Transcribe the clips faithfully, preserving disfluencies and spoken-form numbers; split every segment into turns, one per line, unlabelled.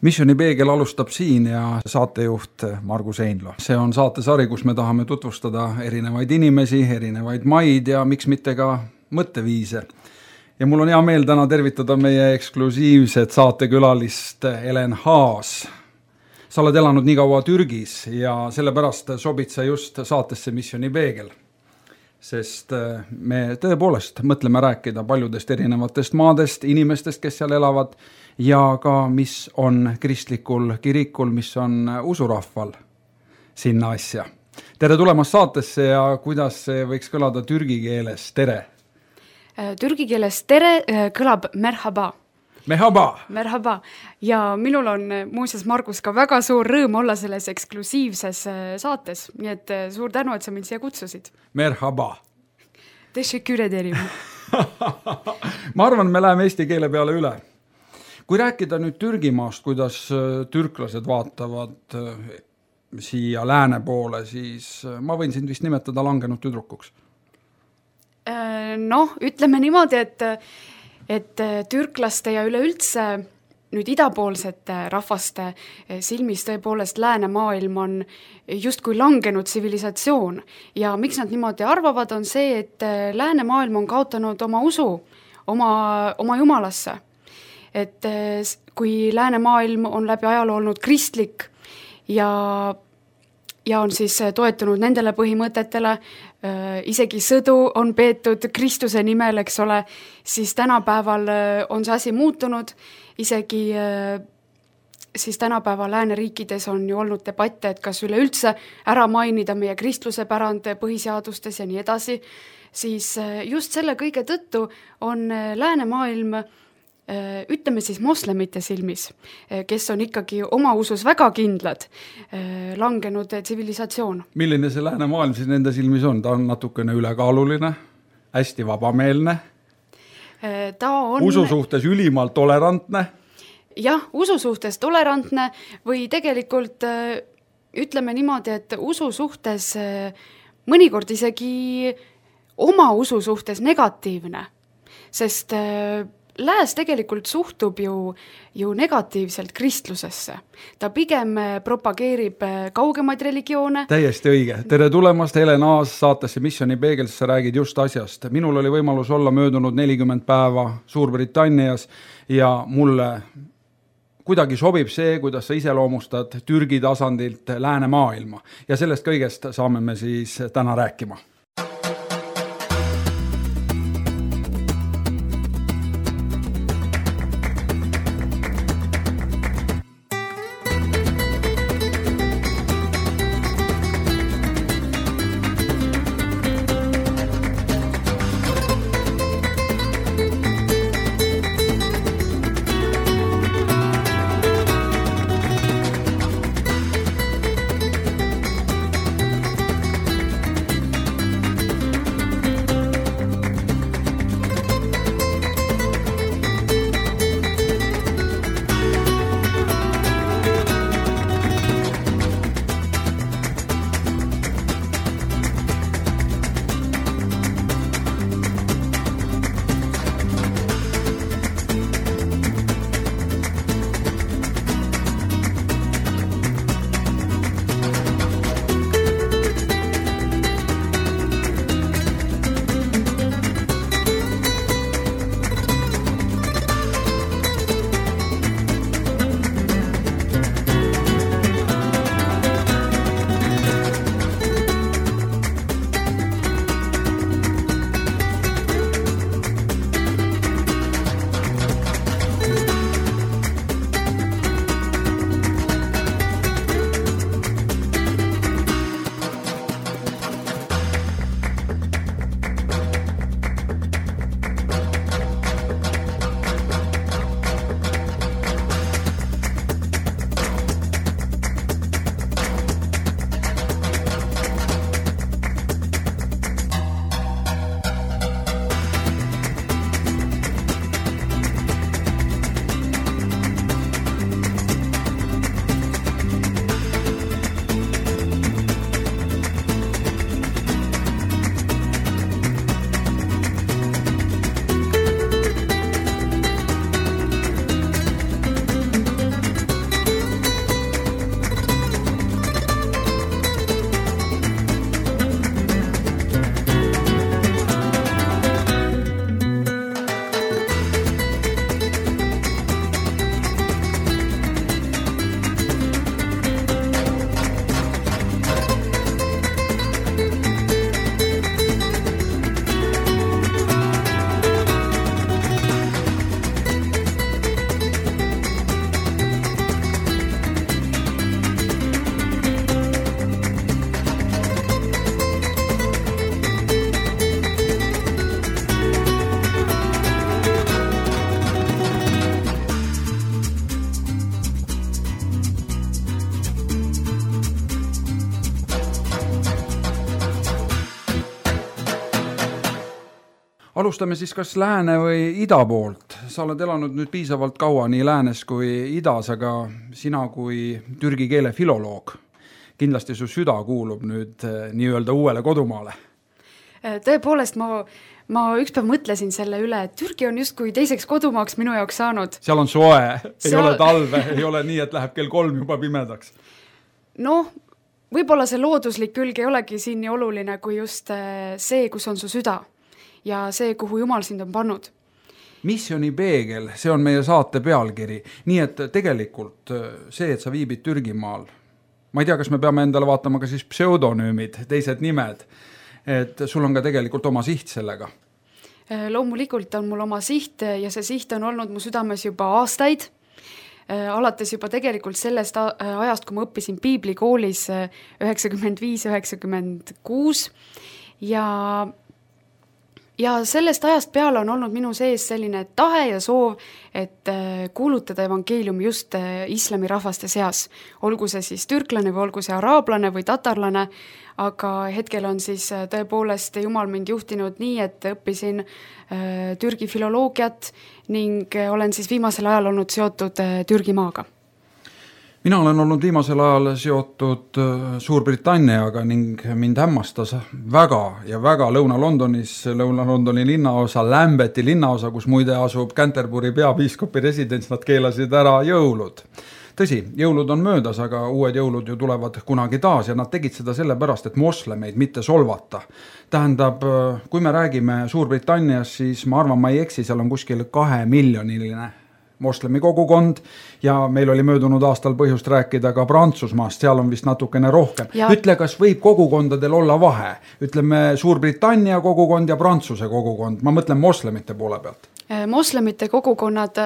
Missioni Peegel alustab siin ja saatejuht Margus Einlo. See on saatesari, kus me tahame tutvustada erinevaid inimesi, erinevaid maid ja miks mitte ka mõtteviise. Ja mul on hea meel täna tervitada meie eksklusiivset saatekülalist Elen Haas. Sa oled elanud nii kaua Türgis ja sellepärast sobid sa just saatesse Missioni Peegel. Sest me tõepoolest mõtleme rääkida paljudest erinevatest maadest, inimestest, kes seal elavad ja ka mis on kristlikul kirikul, mis on usurahval sinna asja. Tere tulemast saatesse ja kuidas see võiks kõlada türgi keeles tere?
Türgi keeles tere kõlab merhaba.
Merhaba.
Merhaba. Ja minul on muuseas Margus ka väga suur rõõm olla selles eksklusiivses saates, nii et suur tänu, et sa mind siia kutsusid.
Merhaba.
Teşekkür ederim.
Ma arvan, me läheme eesti keele peale üle. Kui rääkida nüüd Türgimaast, kuidas türklased vaatavad siia lääne poole, siis ma võin sind vist nimetada langenud tüdrukuks.
Noh, ütleme niimoodi, et et türklaste ja üleüldse nüüd idapoolsete rahvaste silmis tõepoolest läänemaailm on justkui langenud tsivilisatsioon. Ja miks nad niimoodi arvavad, on see, et läänemaailm on kaotanud oma usu, oma, oma jumalasse. Et kui läänemaailm on läbi ajaloo olnud kristlik ja ja on siis toetunud nendele põhimõtetele, isegi sõdu on peetud Kristuse nimel, eks ole, siis tänapäeval on see asi muutunud, isegi siis tänapäeval lääneriikides on ju olnud debatte, et kas üleüldse ära mainida meie kristluse pärand põhiseadustes ja nii edasi, siis just selle kõige tõttu on läänemaailm ütleme siis moslemite silmis, kes on ikkagi oma usus väga kindlad, langenud tsivilisatsioon.
Milline see läänemaailm siis nende silmis on? Ta on natukene ülekaaluline, hästi vabameelne,
Ta on...
usu suhtes ülimalt tolerantne.
Jah, usu suhtes tolerantne või tegelikult ütleme niimoodi, et usu suhtes mõnikord isegi oma usu suhtes negatiivne, sest Lääs tegelikult suhtub ju, ju negatiivselt kristlusesse. Ta pigem propageerib kaugemaid religioone.
Täiesti õige. Tere tulemast, Elen Haas saatesse Missioni Peegel, sa räägid just asjast. Minul oli võimalus olla möödunud nelikümmend päeva Suurbritannias ja mulle kuidagi sobib see, kuidas sa iseloomustad Türgi tasandilt läänemaailma. Ja sellest kõigest saame me siis täna rääkima. Alustame siis kas lääne või ida poolt. Sa oled elanud nüüd piisavalt kaua nii läänes kui idas, aga sina kui türgi keele filoloog, kindlasti su süda kuulub nüüd nii-öelda uuele kodumaale.
Tõepoolest, ma, ma ükspäev mõtlesin selle üle, et Türgi on justkui teiseks kodumaaks minu jaoks saanud.
Seal on soe, ei Seal... ole talve, ei ole nii, et läheb kell kolm juba pimedaks.
Noh, võib-olla see looduslik külg ei olegi siin nii oluline kui just see, kus on su süda. Ja see, kuhu Jumal sind on pannud.
Missioni peegel, see on meie saate pealkiri. Nii et tegelikult see, et sa viibid Türgimaal, ma ei tea, kas me peame endale vaatama ka siis pseudonüümid, teised nimed, et sul on ka tegelikult oma siht sellega.
Loomulikult on mul oma siht ja see siht on olnud mu südames juba aastaid. Alates juba tegelikult sellest ajast, kui ma õppisin piiblikoolis üheksakümmend viis üheksakümmend kuus ja Ja sellest ajast peale on olnud minu sees selline tahe ja soov, et kuulutada evangeeliumi just islami rahvaste seas. Olgu see siis türklane või olgu see araablane või tatarlane, aga hetkel on siis tõepoolest Jumal mind juhtinud nii, et õppisin türgi filoloogiat ning olen siis viimasel ajal olnud seotud Türgi maaga.
Mina olen olnud viimasel ajal seotud Suurbritanniaga ning mind hämmastas väga ja väga Lõuna-Londonis, Lõuna-Londoni linnaosa, Lambethi linnaosa, kus muide asub Canterbury peapiiskopi residents, nad keelasid ära jõulud. Tõsi, jõulud on möödas, aga uued jõulud ju tulevad kunagi taas ja nad tegid seda sellepärast, et moslemeid mitte solvata. Tähendab, kui me räägime Suurbritannias, siis ma arvan, ma ei eksi, seal on kuskil kahe miljoniline moslemi kogukond ja meil oli möödunud aastal põhjust rääkida ka Prantsusmaast, seal on vist natukene rohkem. Ja. Ütle, kas võib kogukondadel olla vahe? Ütleme Suurbritannia kogukond ja Prantsuse kogukond, ma mõtlen moslemite poole pealt.
Moslemite kogukonnad,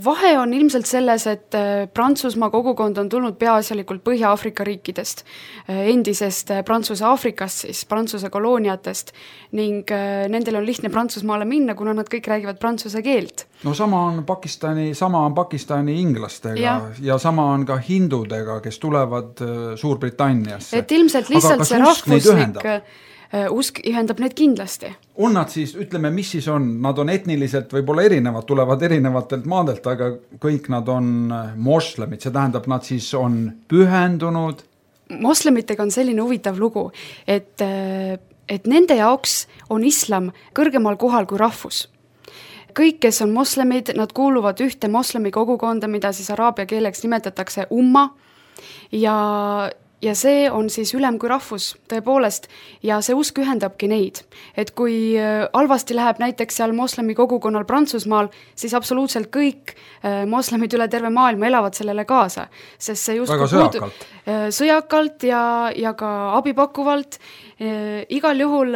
vahe on ilmselt selles, et Prantsusmaa kogukond on tulnud peaasjalikult Põhja-Afrika riikidest, endisest Prantsuse Afrikast, siis Prantsuse kolooniatest ning nendel on lihtne Prantsusmaale minna, kuna nad kõik räägivad prantsuse keelt.
No sama on Pakistani, sama on Pakistani inglastega ja, ja sama on ka hindudega, kes tulevad Suurbritanniasse.
Et ilmselt lihtsalt see rahvuslik usk ühendab need kindlasti.
On nad siis, ütleme, mis siis on? Nad on etniliselt võib-olla erinevad, tulevad erinevatelt maadelt, aga kõik nad on moslemid. See tähendab, nad siis on pühendunud.
Moslemitega on selline huvitav lugu, et, et nende jaoks on islam kõrgemal kohal kui rahvus. Kõik, kes on moslemid, nad kuuluvad ühte moslemi kogukonda, mida siis araabia keeleks nimetatakse umma ja Ja see on siis ülem kui rahvus, tõepoolest, ja see usk ühendabki neid. Et kui halvasti läheb näiteks seal moslemi kogukonnal Prantsusmaal, siis absoluutselt kõik moslemid üle terve maailma elavad sellele kaasa. Sest see just
väga sõjakalt.
Sõjakalt ja, ja ka abipakkuvalt. Igal juhul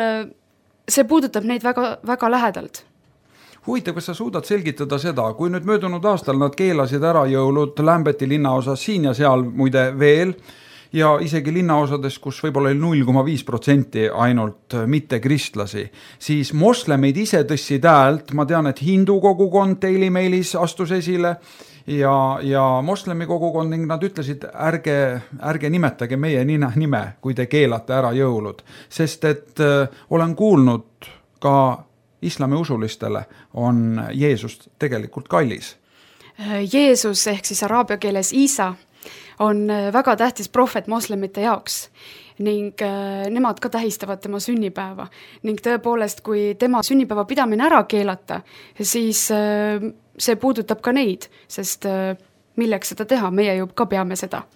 see puudutab neid väga, väga lähedalt.
Huvitav, kas sa suudad selgitada seda, kui nüüd möödunud aastal nad keelasid ära jõulud Lambethi linnaosas siin ja seal muide veel, ja isegi linnaosades, kus võib-olla oli null koma viis protsenti ainult mitte kristlasi, siis moslemid ise tõssid häält, ma tean, et hindu kogukond Daily Mailis astus esile ja, ja moslemi kogukond ning nad ütlesid, ärge, ärge nimetage meie nime, kui te keelate ära jõulud, sest et äh, olen kuulnud ka islami usulistele on Jeesus tegelikult kallis.
Jeesus ehk siis araabia keeles Isa on väga tähtis prohvet moslemite jaoks ning nemad ka tähistavad tema sünnipäeva. Ning tõepoolest, kui tema sünnipäeva pidamine ära keelata, siis see puudutab ka neid, sest milleks seda teha, meie ju ka peame seda.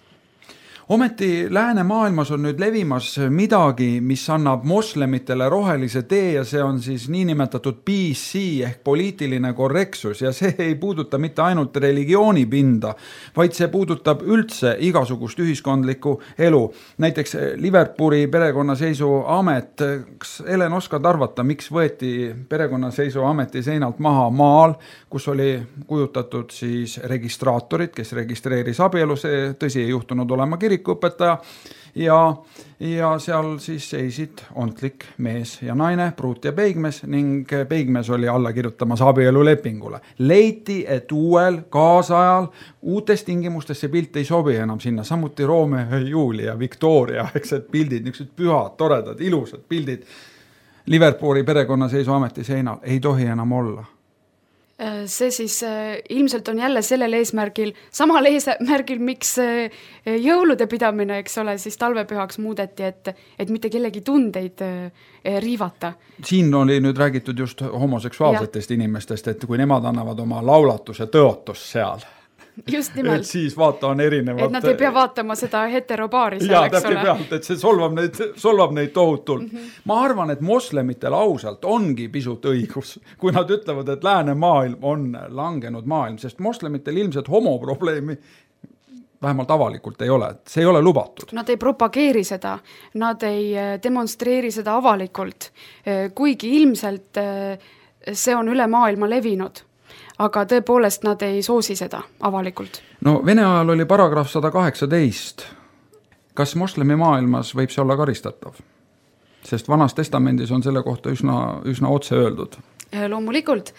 Ometi lääne maailmas on nüüd levimas midagi, mis annab moslemitele rohelise tee ja see on siis niinimetatud P C ehk poliitiline korrektsus ja see ei puuduta mitte ainult religioonipinda, vaid see puudutab üldse igasugust ühiskondlikku elu. Näiteks Liverpooli perekonnaseisuamet, kas Helen oskad arvata, miks võeti perekonnaseisuameti seinalt maha maal, kus oli kujutatud siis registraatorid, kes registreeris abielu, see tõsi ei juhtunud olema kirikuõpetaja ja, ja seal siis seisid ontlik mees ja naine, pruut ja peigmes ning peigmes oli alla kirjutamas abielulepingule. Leiti, et uuel kaasajal uutes tingimustes see pilt ei sobi enam sinna, samuti Romeo ja Julia, Victoria, eks et pildid, niisugused pühad, toredad, ilusad pildid. Liverpooli perekonnaseisuameti seinal, ei tohi enam olla.
See siis ilmselt on jälle sellel eesmärgil, samal eesmärgil, miks jõulude pidamine, eks ole, siis talvepühaks muudeti, et, et mitte kellegi tundeid riivata.
Siin oli nüüd räägitud just homoseksuaalsetest ja. Inimestest, et kui nemad annavad oma laulatuse tõotus seal,
just nimelt.
Et siis vaata on erinevad.
Et nad ei pea vaatama seda heterobaari seal,
ja,
eks ole.
Pealt, et see solvab neid, solvab neid tohutult. Mm -hmm. Ma arvan, et moslemitel ausalt ongi pisut õigus, kui nad ütlevad, et lääne maailm on langenud maailm, sest moslemitel ilmselt homoprobleemi vähemalt avalikult ei ole, see ei ole lubatud.
Nad ei propageeri seda, nad ei demonstreeri seda avalikult, kuigi ilmselt see on üle maailma levinud. Aga tõepoolest nad ei soosi seda avalikult.
No Vene ajal oli paragrahv sada kaheksateist. Kas moslemi maailmas võib see olla karistatav? Sest vanas testamendis on selle kohta üsna, üsna otse öeldud.
Loomulikult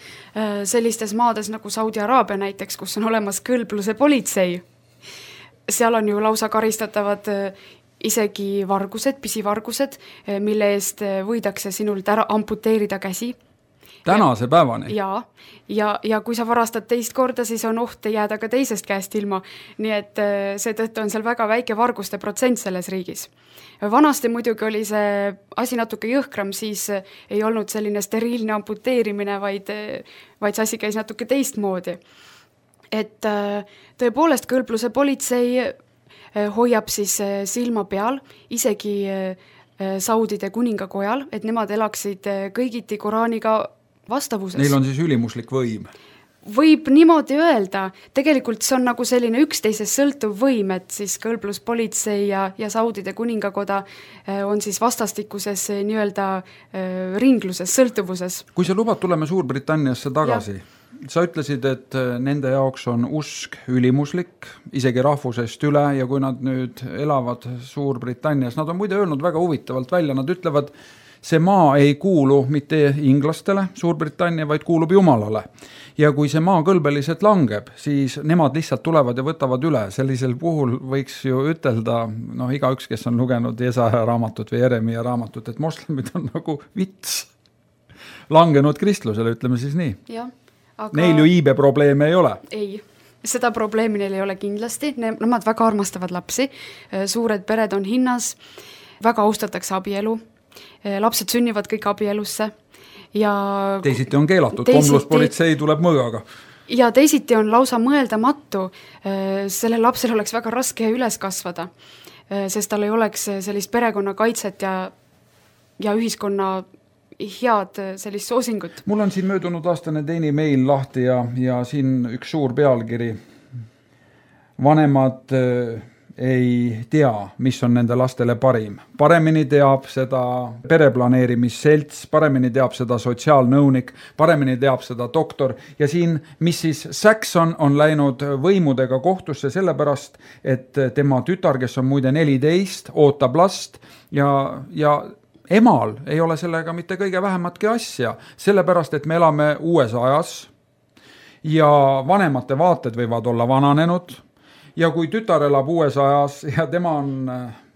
sellistes maades nagu Saudi Araabia näiteks, kus on olemas kõlbluse politsei, seal on ju lausa karistatavad isegi vargused, pisivargused, mille eest võidakse sinult ära amputeerida käsi.
Tänase päevani?
Ja, ja, ja kui sa varastad teist korda, siis on oht jääda ka teisest käest ilma. Nii et seetõttu on seal väga väike varguste protsent selles riigis. Vanasti muidugi oli see asi natuke jõhkram, siis ei olnud selline steriilne amputeerimine, vaid, vaid see asi käis natuke teistmoodi. Et tõepoolest kõlbluse politsei hoiab siis silma peal, isegi Saudide kuningakojal, et nemad elaksid kõigiti Koraaniga vastavuses.
Neil on siis ülimuslik võim.
Võib niimoodi öelda, tegelikult see on nagu selline üksteisest sõltuv võim, et siis kõlbluspolitsei ja, ja Saudide kuningakoda on siis vastastikuses nii-öelda ringluses, sõltuvuses.
Kui sa lubad, tuleme Suurbritanniasse tagasi. Ja. Sa ütlesid, et nende jaoks on usk ülimuslik, isegi rahvusest üle, ja kui nad nüüd elavad Suurbritannias, nad on muide öelnud väga huvitavalt välja, nad ütlevad, see maa ei kuulu mitte inglastele, Suurbritannia, vaid kuulub Jumalale. Ja kui see maa kõlbeliselt langeb, siis nemad lihtsalt tulevad ja võtavad üle. Sellisel puhul võiks ju ütelda, noh, igaüks, kes on lugenud Jesaja raamatut või Jeremia raamatut, et moslemid on nagu vits langenud kristlusele, ütleme siis nii.
Jah. Aga
neil ju iibe probleeme ei ole.
Ei, seda probleemi neil ei ole kindlasti. Nemad väga armastavad lapsi, suured pered on hinnas, väga austatakse abielu, lapsed sünnivad kõik abielusse. Ja
teisiti on keelatud, komluspolitsei tuleb mõõgaga.
Ja teisiti on lausa mõeldamatu, selle lapsel oleks väga raske üles kasvada, sest tal ei oleks sellist perekonna kaitset ja, ja ühiskonna head sellist soosingut.
Mul on siin möödunud aastane teini meil lahti ja, ja siin üks suur pealkiri. Vanemad ei tea, mis on nende lastele parim. Paremini teab seda pereplaneerimisselts, paremini teab seda sotsiaalnõunik, paremini teab seda doktor. Ja siin missis Saxon on läinud võimudega kohtusse sellepärast, et tema tütar, kes on muide neliteist, ootab last ja, ja emal ei ole sellega mitte kõige vähematki asja, sellepärast, et me elame uues ajas ja vanemate vaated võivad olla vananenud ja kui tütar elab uues ajas ja tema on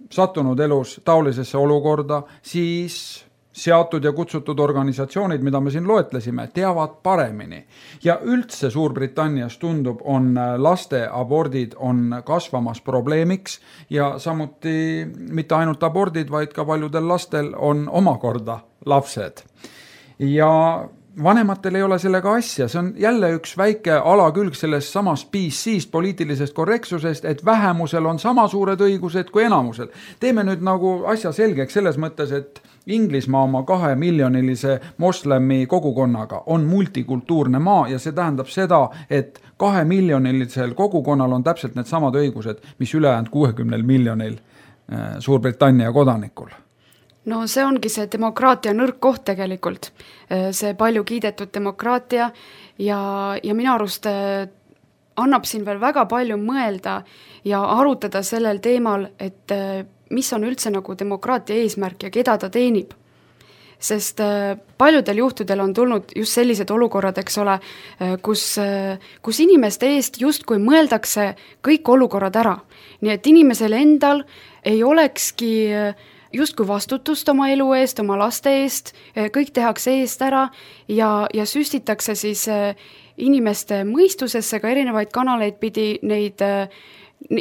sattunud elus taolisesse olukorda, siis seatud ja kutsutud organisatsioonid, mida me siin loetlesime, teavad paremini. Ja üldse Suurbritannias tundub, on laste abordid on kasvamas probleemiks ja samuti mitte ainult abordid, vaid ka paljudel lastel on omakorda lapsed. Ja vanematel ei ole sellega asja, see on jälle üks väike alakülg sellest samast P C-st, poliitilisest korrektsusest, et vähemusel on sama suured õigused kui enamusel. Teeme nüüd nagu asja selgeks selles mõttes, et Inglismaa oma kahe miljonilise moslemi kogukonnaga on multikultuurne maa ja see tähendab seda, et kahe miljonilisel kogukonnal on täpselt need samad õigused, mis ülejäänud kuuekümnel miljonil Suurbritannia kodanikul.
No see ongi see demokraatia nõrk koht tegelikult, see palju kiidetud demokraatia ja, ja minu arust annab siin veel väga palju mõelda ja arutada sellel teemal, et mis on üldse nagu demokraatia eesmärk ja keda ta teenib. Sest paljudel juhtudel on tulnud just sellised olukorrad, eks ole, kus, kus inimeste eest just kui mõeldakse kõik olukorrad ära. Nii et inimesel endal ei olekski justkui vastutust oma elu eest, oma laste eest, kõik tehakse eest ära ja, ja süstitakse siis inimeste mõistusesse ka erinevaid kanaleid pidi neid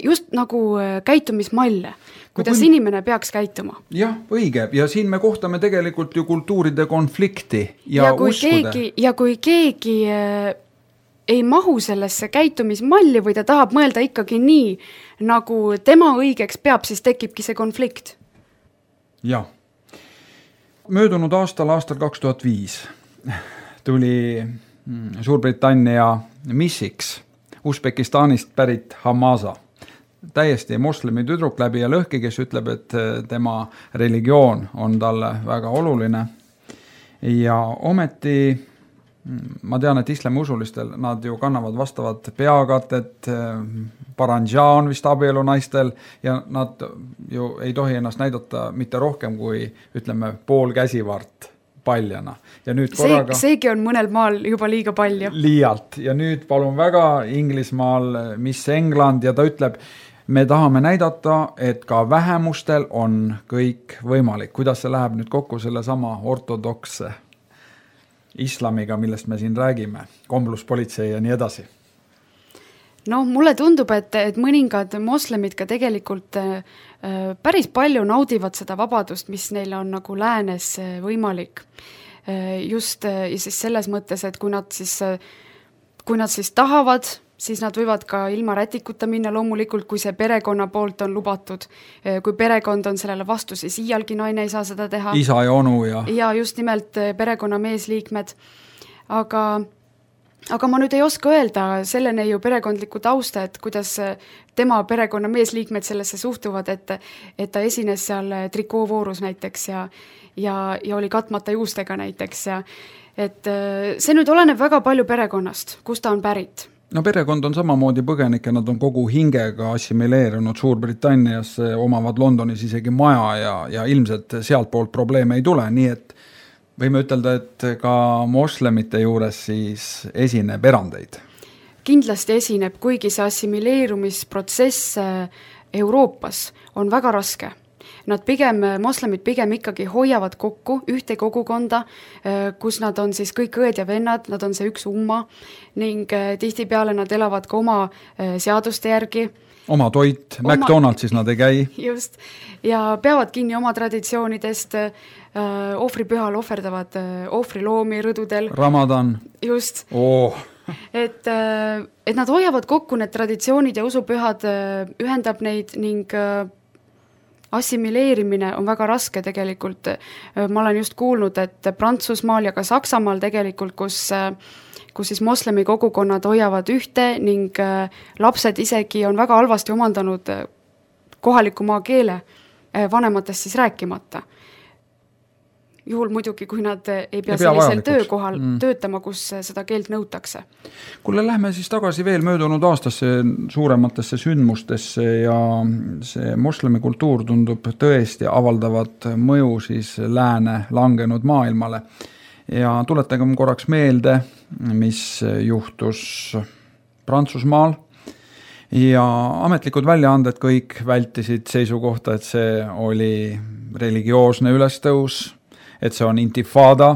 just nagu käitumismalle, kuidas kui... inimene peaks käituma.
Jah, õige. Ja siin me kohtame tegelikult ju kultuuride konflikti ja,
ja kui
uskude.
Keegi, ja kui keegi äh, ei mahu sellesse käitumismalli või ta tahab mõelda ikkagi nii, nagu tema õigeks peab, siis tekibki see konflikt.
Jah. Möödunud aastal, aastal kaks tuhat viis tuli Suurbritannia missiks Usbekistanist pärit Hamaza. Täiesti moslemi tüdruk läbi ja lõhki, kes ütleb, et tema religioon on talle väga oluline. Ja ometi ma tean, et islami usulistel nad ju kannavad vastavat peakatet, paranja on vist abielu naistel ja nad ju ei tohi ennast näidata mitte rohkem kui, ütleme, pool käsivart paljana. Ja nüüd korraga...
See, seegi on mõnel maal juba liiga palju.
Liialt. Ja nüüd palun väga Inglismaal Miss England ja ta ütleb, me tahame näidata, et ka vähemustel on kõik võimalik. Kuidas see läheb nüüd kokku selle sama ortodokse islamiga, millest me siin räägime, kombluspolitsei ja nii edasi?
No mulle tundub, et, et mõningad moslemid ka tegelikult äh, päris palju naudivad seda vabadust, mis neil on nagu läänes võimalik. Äh, just äh, siis selles mõttes, et kui nad siis, äh, kui nad siis tahavad, siis nad võivad ka ilma rätikuta minna loomulikult, kui see perekonna poolt on lubatud. Kui perekond on sellele vastu, siis iialgi naine ei saa seda teha.
Isa ja onu ja...
Ja just nimelt perekonna meesliikmed. Aga, aga ma nüüd ei oska öelda sellene ju perekondliku tausta, et kuidas tema perekonna meesliikmed sellesse suhtuvad, et, et ta esines seal trikoovoorus näiteks ja, ja, ja oli katmata juustega näiteks. Ja, et see nüüd oleneb väga palju perekonnast, kus ta on pärit.
No perekond on samamoodi põgenike, nad on kogu hingega assimileerunud Suurbritannias, omavad Londonis isegi maja ja, ja ilmselt sealt poolt probleeme ei tule, nii et võime ütelda, et ka moslemite juures siis esineb erandeid.
Kindlasti esineb, kuigi see assimileerumisprotsess Euroopas on väga raske. Nad pigem, moslemid pigem ikkagi hoiavad kokku ühte kogukonda, kus nad on siis kõik õed ja vennad, nad on see üks umma ning tihtipeale nad elavad ka oma seaduste järgi.
Oma toit, oma... McDonaldsis nad ei käi.
Just, ja peavad kinni oma traditsioonidest, ohvripühal ohverdavad ohvriloomi rõdudel.
Ramadan.
Just.
Oh.
Et, et nad hoiavad kokku need traditsioonid ja usupühad, ühendab neid ning assimileerimine on väga raske tegelikult. Ma olen just kuulnud, et Prantsusmaal ja ka Saksamaal tegelikult, kus, kus siis moslemi kogukonnad hoiavad ühte ning lapsed isegi on väga halvasti omandanud kohaliku maa keele, vanematest siis rääkimata. Juhul muidugi, kui nad ei pea, ei pea sellisel töökohal mm. töötama, kus seda keelt nõutakse.
Kuule, lähme siis tagasi veel möödunud aastasse suurematesse sündmustesse ja see moslemi kultuur tundub tõesti avaldavat mõju siis lääne langenud maailmale. Ja tuletagem korraks meelde, mis juhtus Prantsusmaal ja ametlikud väljaanded kõik vältisid seisukohta, et see oli religioosne ülestõus, et see on intifada,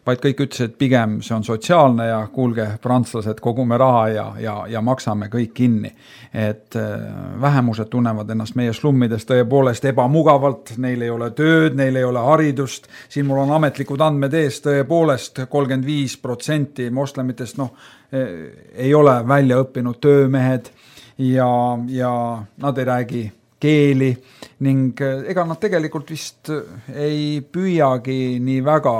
vaid kõik ütles, et pigem see on sotsiaalne ja kuulge, prantslased, kogume raha ja, ja, ja maksame kõik kinni. Et vähemused tunnevad ennast meie slummides tõepoolest ebamugavalt, neil ei ole tööd, neil ei ole haridust, siin mul on ametlikud andmed ees, tõepoolest kolmkümmend viis protsenti moslemitest no, ei ole välja õppinud töömehed ja, ja nad ei räägi keeli ning ega nad tegelikult vist ei püüagi nii väga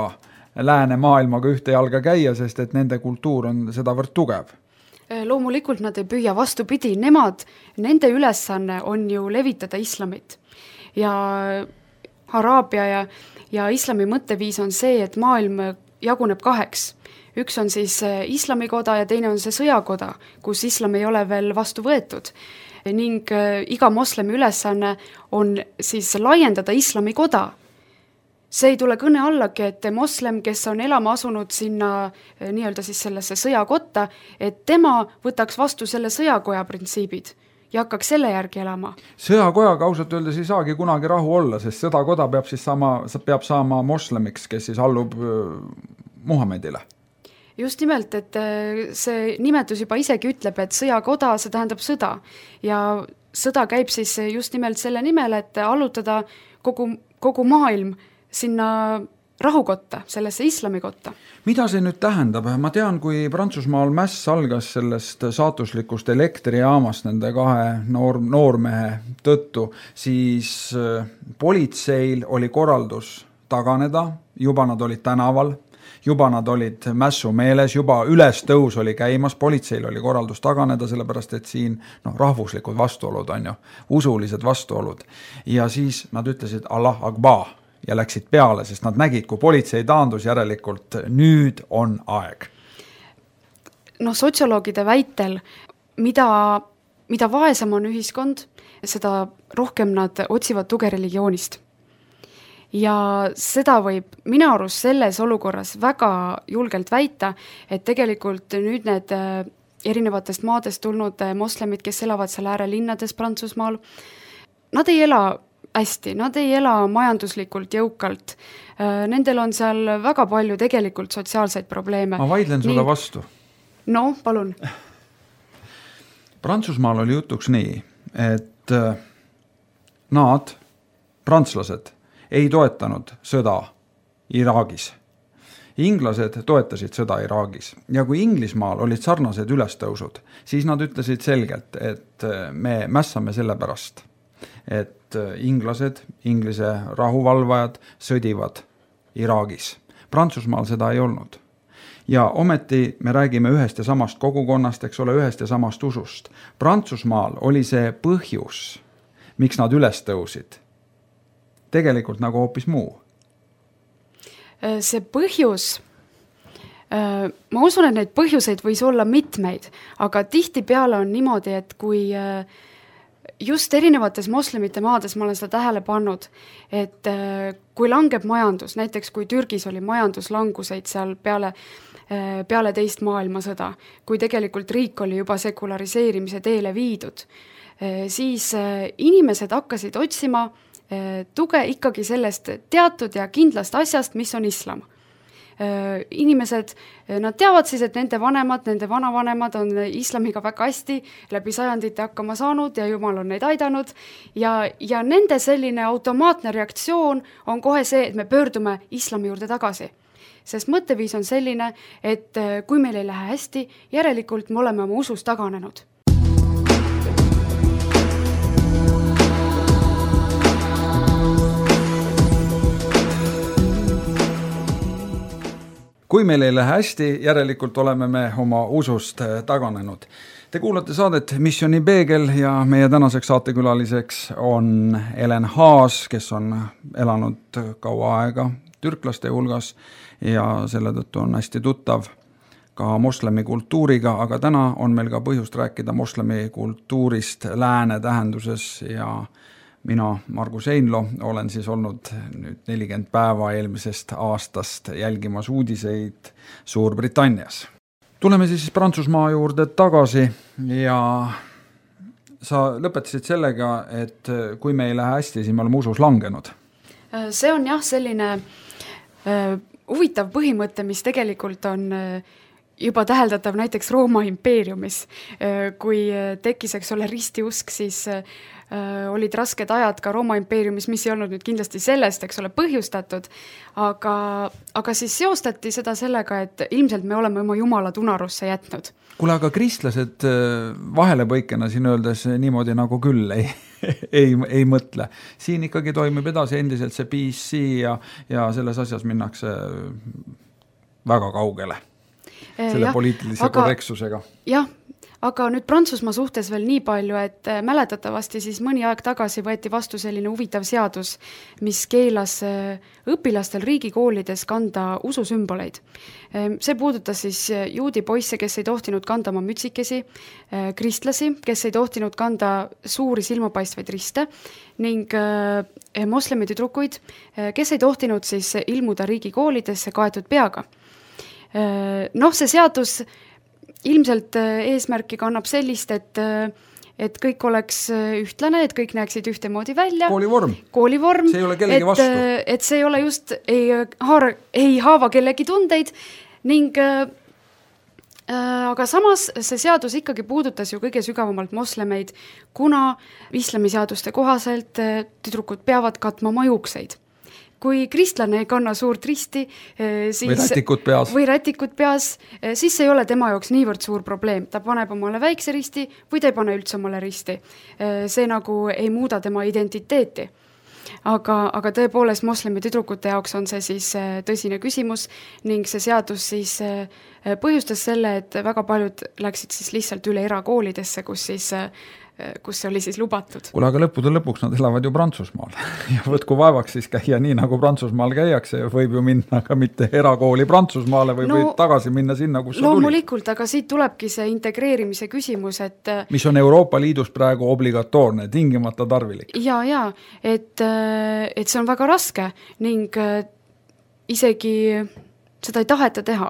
lääne maailmaga ühte jalga käia, sest et nende kultuur on sedavõrd tugev.
Loomulikult nad ei püüa, vastupidi, nemad, nende ülesanne on ju levitada islamit. Ja Araabia ja, ja islami mõtteviis on see, et maailm jaguneb kaheks. Üks on siis islamikoda ja teine on see sõjakoda, kus islam ei ole veel vastu võetud. Ning iga moslemi ülesanne on siis laiendada islami koda. See ei tule kõne allagi, et moslem, kes on elama asunud sinna nii-öelda siis sellesse sõjakotta, et tema võtaks vastu selle sõjakoja printsiibid ja hakkaks selle järgi elama.
Sõjakojaga ausalt öeldes ei saagi kunagi rahu olla, sest sõdakoda peab siis saama, peab saama moslemiks, kes siis allub Muhamedile.
Just nimelt, et see nimetus juba isegi ütleb, et sõjakoda, see tähendab sõda. Ja sõda käib siis just nimelt selle nimel, et allutada kogu, kogu maailm sinna rahukotta, sellesse islamikotta.
Mida see nüüd tähendab? Ma tean, kui Prantsusmaal mäss algas sellest saatuslikust elektrijaamast nende kahe noor, noormehe tõttu, siis politseil oli korraldus taganeda, juba nad olid tänaval, juba nad olid mässu meeles, juba ülestõus oli käimas, politseil oli korraldus taganeda, sellepärast et siin no, rahvuslikud vastuolud on ju, usulised vastuolud. Ja siis nad ütlesid Allah Akbar ja läksid peale, sest nad nägid, kui politsei taandus järelikult, nüüd on aeg.
No sotsioloogide väitel, mida, mida vaesem on ühiskond, seda rohkem nad otsivad tuge religioonist. Ja seda võib minu arust selles olukorras väga julgelt väita, et tegelikult nüüd need erinevatest maadest tulnud moslemid, kes elavad seal äärelinnades Prantsusmaal, nad ei ela hästi, nad ei ela majanduslikult jõukalt. Nendel on seal väga palju tegelikult sotsiaalseid probleeme.
Ma vaidlen sulle nii... vastu.
No, palun.
Prantsusmaal oli jutuks nii, et nad, prantslased, ei toetanud sõda Iraagis. Inglased toetasid sõda Iraagis. Ja kui Inglismaal olid sarnased ülestõusud, siis nad ütlesid selgelt, et me mässame selle pärast, et inglased, inglise rahuvalvajad sõdivad Iraagis. Prantsusmaal seda ei olnud. Ja ometi me räägime ühest ja samast kogukonnast, eks ole, ühest ja samast usust. Prantsusmaal oli see põhjus, miks nad üles tõusid. Tegelikult nagu hoopis muu.
See põhjus, ma usun, et neid põhjuseid võis olla mitmeid, aga tihti peale on niimoodi, et kui just erinevates moslemite maades ma olen seda tähele pannud, et kui langeb majandus, näiteks kui Türgis oli majanduslanguseid seal peale, peale teist maailmasõda, kui tegelikult riik oli juba sekulariseerimise teele viidud, siis inimesed hakkasid otsima tuge ikkagi sellest teatud ja kindlast asjast, mis on islam. Inimesed, nad teavad siis, et nende vanemad, nende vanavanemad on islamiga väga hästi läbi sajandite hakkama saanud ja Jumal on neid aidanud ja, ja nende selline automaatne reaktsioon on kohe see, et me pöördume islami juurde tagasi. Sest mõtteviis on selline, et kui meil ei lähe hästi, järelikult me oleme oma usus taganenud.
Kui meil ei lähe hästi, järelikult oleme me oma usust taganenud. Te kuulate saadet Missiooni Peegel ja meie tänaseks saatekülaliseks on Elen Haas, kes on elanud kaua aega türklaste hulgas ja selle tõttu on hästi tuttav ka moslemi kultuuriga, aga täna on meil ka põhjust rääkida moslemi kultuurist lääne tähenduses ja mina, Margus Einlo, olen siis olnud nüüd nelikümmend päeva eelmisest aastast jälgimas uudiseid Suurbritannias. Tuleme siis Prantsusmaa juurde tagasi ja sa lõpetasid sellega, et kui me ei lähe hästi, siis me oleme usus langenud.
See on jah selline uh, huvitav põhimõte, mis tegelikult on uh, juba täheldatav näiteks Rooma impeeriumis. Uh, kui tekkis, eks ole, ristiusk, siis uh, olid rasked ajad ka Rooma impeeriumis, mis ei olnud nüüd kindlasti sellest, eks ole, põhjustatud, aga, aga siis seostati seda sellega, et ilmselt me oleme oma jumala tunarusse jätnud.
Kuule, aga kristlased vahelepõikena siin öeldes niimoodi nagu küll ei, ei, ei mõtle. Siin ikkagi toimib edasi endiselt see P C ja, ja selles asjas minnakse väga kaugele selle ja, poliitilise aga, korrektsusega.
Jah, aga nüüd Prantsusmaa suhtes veel nii palju, et mäletatavasti siis mõni aeg tagasi võeti vastu selline huvitav seadus, mis keelas õpilastel riigikoolides kanda ususümboleid. See puudutas siis juudi poisse, kes ei tohtinud kanda oma mütsikesi, kristlasi, kes ei tohtinud kanda suuri silmapaistvaid riste ning moslemi tüdrukuid, kes ei tohtinud siis ilmuda riigikoolidesse kaetud peaga. Noh, see seadus ilmselt eesmärki kannab sellist, et, et kõik oleks ühtlane, et kõik näeksid ühtemoodi välja.
Koolivorm.
Koolivorm.
See ei ole kellegi
et,
vastu.
Et see ei ole just, ei, haara, ei haava kellegi tundeid ning äh, aga samas see seadus ikkagi puudutas ju kõige sügavamalt moslemeid, kuna islamiseaduste kohaselt tüdrukud peavad katma oma juukseid. Kui kristlane ei kanna suurt risti, siis,
või rätikut peas,
või rätikut peas, siis ei ole tema jaoks niivõrd suur probleem. Ta paneb omale väikse risti või ta ei pane üldse omale risti. See nagu ei muuda tema identiteeti. Aga, aga tõepoolest moslemi tüdrukute jaoks on see siis tõsine küsimus ning see seadus siis põhjustas selle, et väga paljud läksid siis lihtsalt üle erakoolidesse, kus siis kus see oli siis lubatud.
Kuule, aga lõppude lõpuks nad elavad ju Prantsusmaal ja võtku vaevaks siis käia nii, nagu Prantsusmaal käiakse, võib ju minna ka mitte erakooli Prantsusmaale või no, võib tagasi minna sinna, kus see tuli.
Loomulikult, aga siit tulebki see integreerimise küsimus, et
mis on Euroopa Liidus praegu obligatoorne, tingimata tarvilik.
Ja, ja, et, et see on väga raske ning isegi seda ei taheta teha.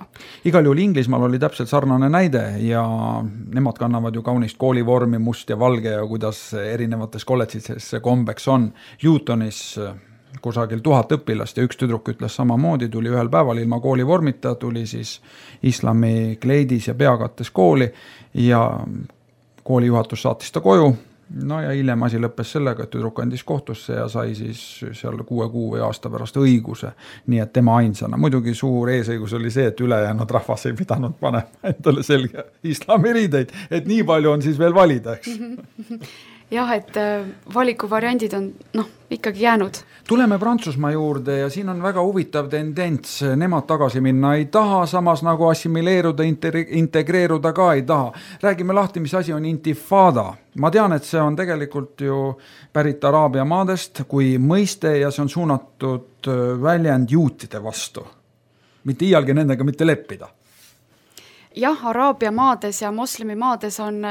Igal juhul Inglismaal oli täpselt sarnane näide ja nemad kannavad ju kaunist koolivormi, must ja valge ja kuidas erinevates kolledžites see kombeks on. Lutonis kusagil tuhat õpilast ja üks tüdruk ütles samamoodi, tuli ühel päeval ilma koolivormita, tuli siis islami kleidis ja peakattes kooli ja koolijuhatus saatis ta koju. No ja hiljem asi lõppes sellega, et tüdruk andis kohtusse ja sai siis seal kuue kuu või aasta pärast õiguse, nii et tema ainsana. Muidugi suur eesõigus oli see, et ülejäänud rahvas ei pidanud panema endale selge islamiriideid, et nii palju on siis veel valida, eks.
Jah, et valikuvariandid on noh, ikkagi jäänud.
Tuleme Prantsusmaa juurde ja siin on väga huvitav tendents, nemad tagasi minna ei taha, samas nagu assimileeruda, integreeruda ka ei taha. Räägime lahti, mis asi on intifada. Ma tean, et see on tegelikult ju pärit Araabia maadest kui mõiste ja see on suunatud väljend juutide vastu. Mitte iialgi nendega mitte leppida.
Jah, Araabia maades ja moslemi maades on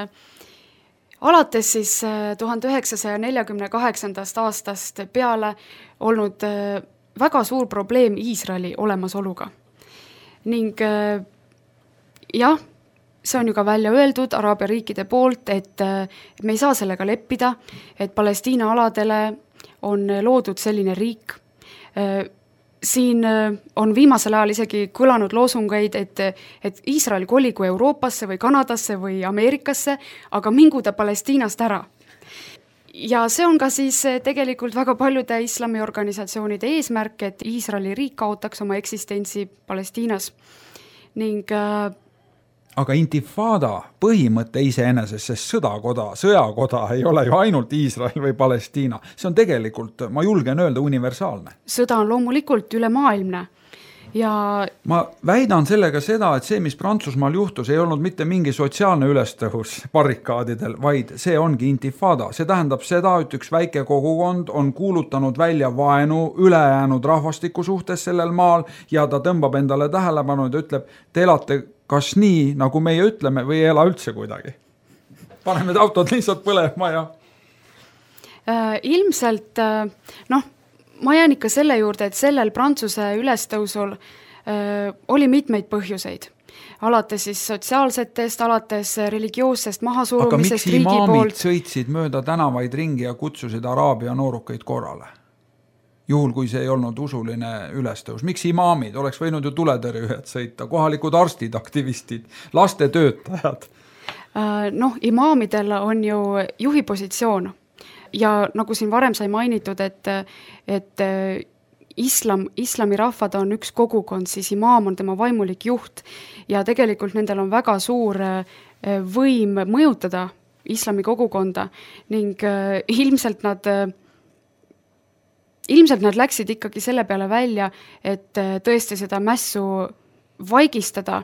alates siis tuhande üheksasaja neljakümne kaheksandast aastast peale olnud väga suur probleem Iisraeli olemasoluga. Ning jah, see on ju ka välja öeldud Araabia riikide poolt, et me ei saa sellega leppida, et Palestiina aladele on loodud selline riik. Siin on viimasel ajal isegi kõlanud loosungeid, et, et Iisrael koligu Euroopasse või Kanadasse või Ameerikasse, aga mingu ta Palestiinast ära. Ja see on ka siis tegelikult väga paljude islamiorganisatsioonide eesmärk, et Iisraeli riik kaotaks oma eksistentsi Palestiinas. Ning
aga intifada põhimõte iseenesest, sest sõdakoda, sõjakoda ei ole ju ainult Iisrael või Palestiina. See on tegelikult, ma julgen öelda, universaalne.
Sõda on loomulikult ülemaailmne. Ja
ma väidan sellega seda, et see, mis Prantsusmaal juhtus, ei olnud mitte mingi sotsiaalne ülestõus barrikaadidel, vaid see ongi intifada. See tähendab seda, et üks väike kogukond on kuulutanud välja vaenu ülejäänud rahvastiku suhtes sellel maal ja ta tõmbab endale tähelepanu ja ütleb, te elate kas nii, nagu meie ütleme, või ei ela üldse kuidagi. Paneme need autod lihtsalt põlema ja
äh, ilmselt äh, noh, ma jään ikka selle juurde, et sellel Prantsuse ülestõusul äh, oli mitmeid põhjuseid. Alates siis sotsiaalsetest, alates religioossest mahasurumisest riigi poolt.
Aga miks imaamid sõitsid mööda tänavaid ringi ja kutsusid Araabia noorukeid korrale? Juhul, kui see ei olnud usuline ülestõus. Miks imaamid? Oleks võinud ju tuletõrjujad sõita, kohalikud arstid, aktivistid, lastetöötajad.
Noh, imaamidel on ju juhi positsioon ja nagu siin varem sai mainitud, et, et islam, islami rahvad on üks kogukond, siis imaam on tema vaimulik juht ja tegelikult nendel on väga suur võim mõjutada islami kogukonda ning ilmselt nad Ilmselt nad läksid ikkagi selle peale välja, et tõesti seda mässu vaigistada,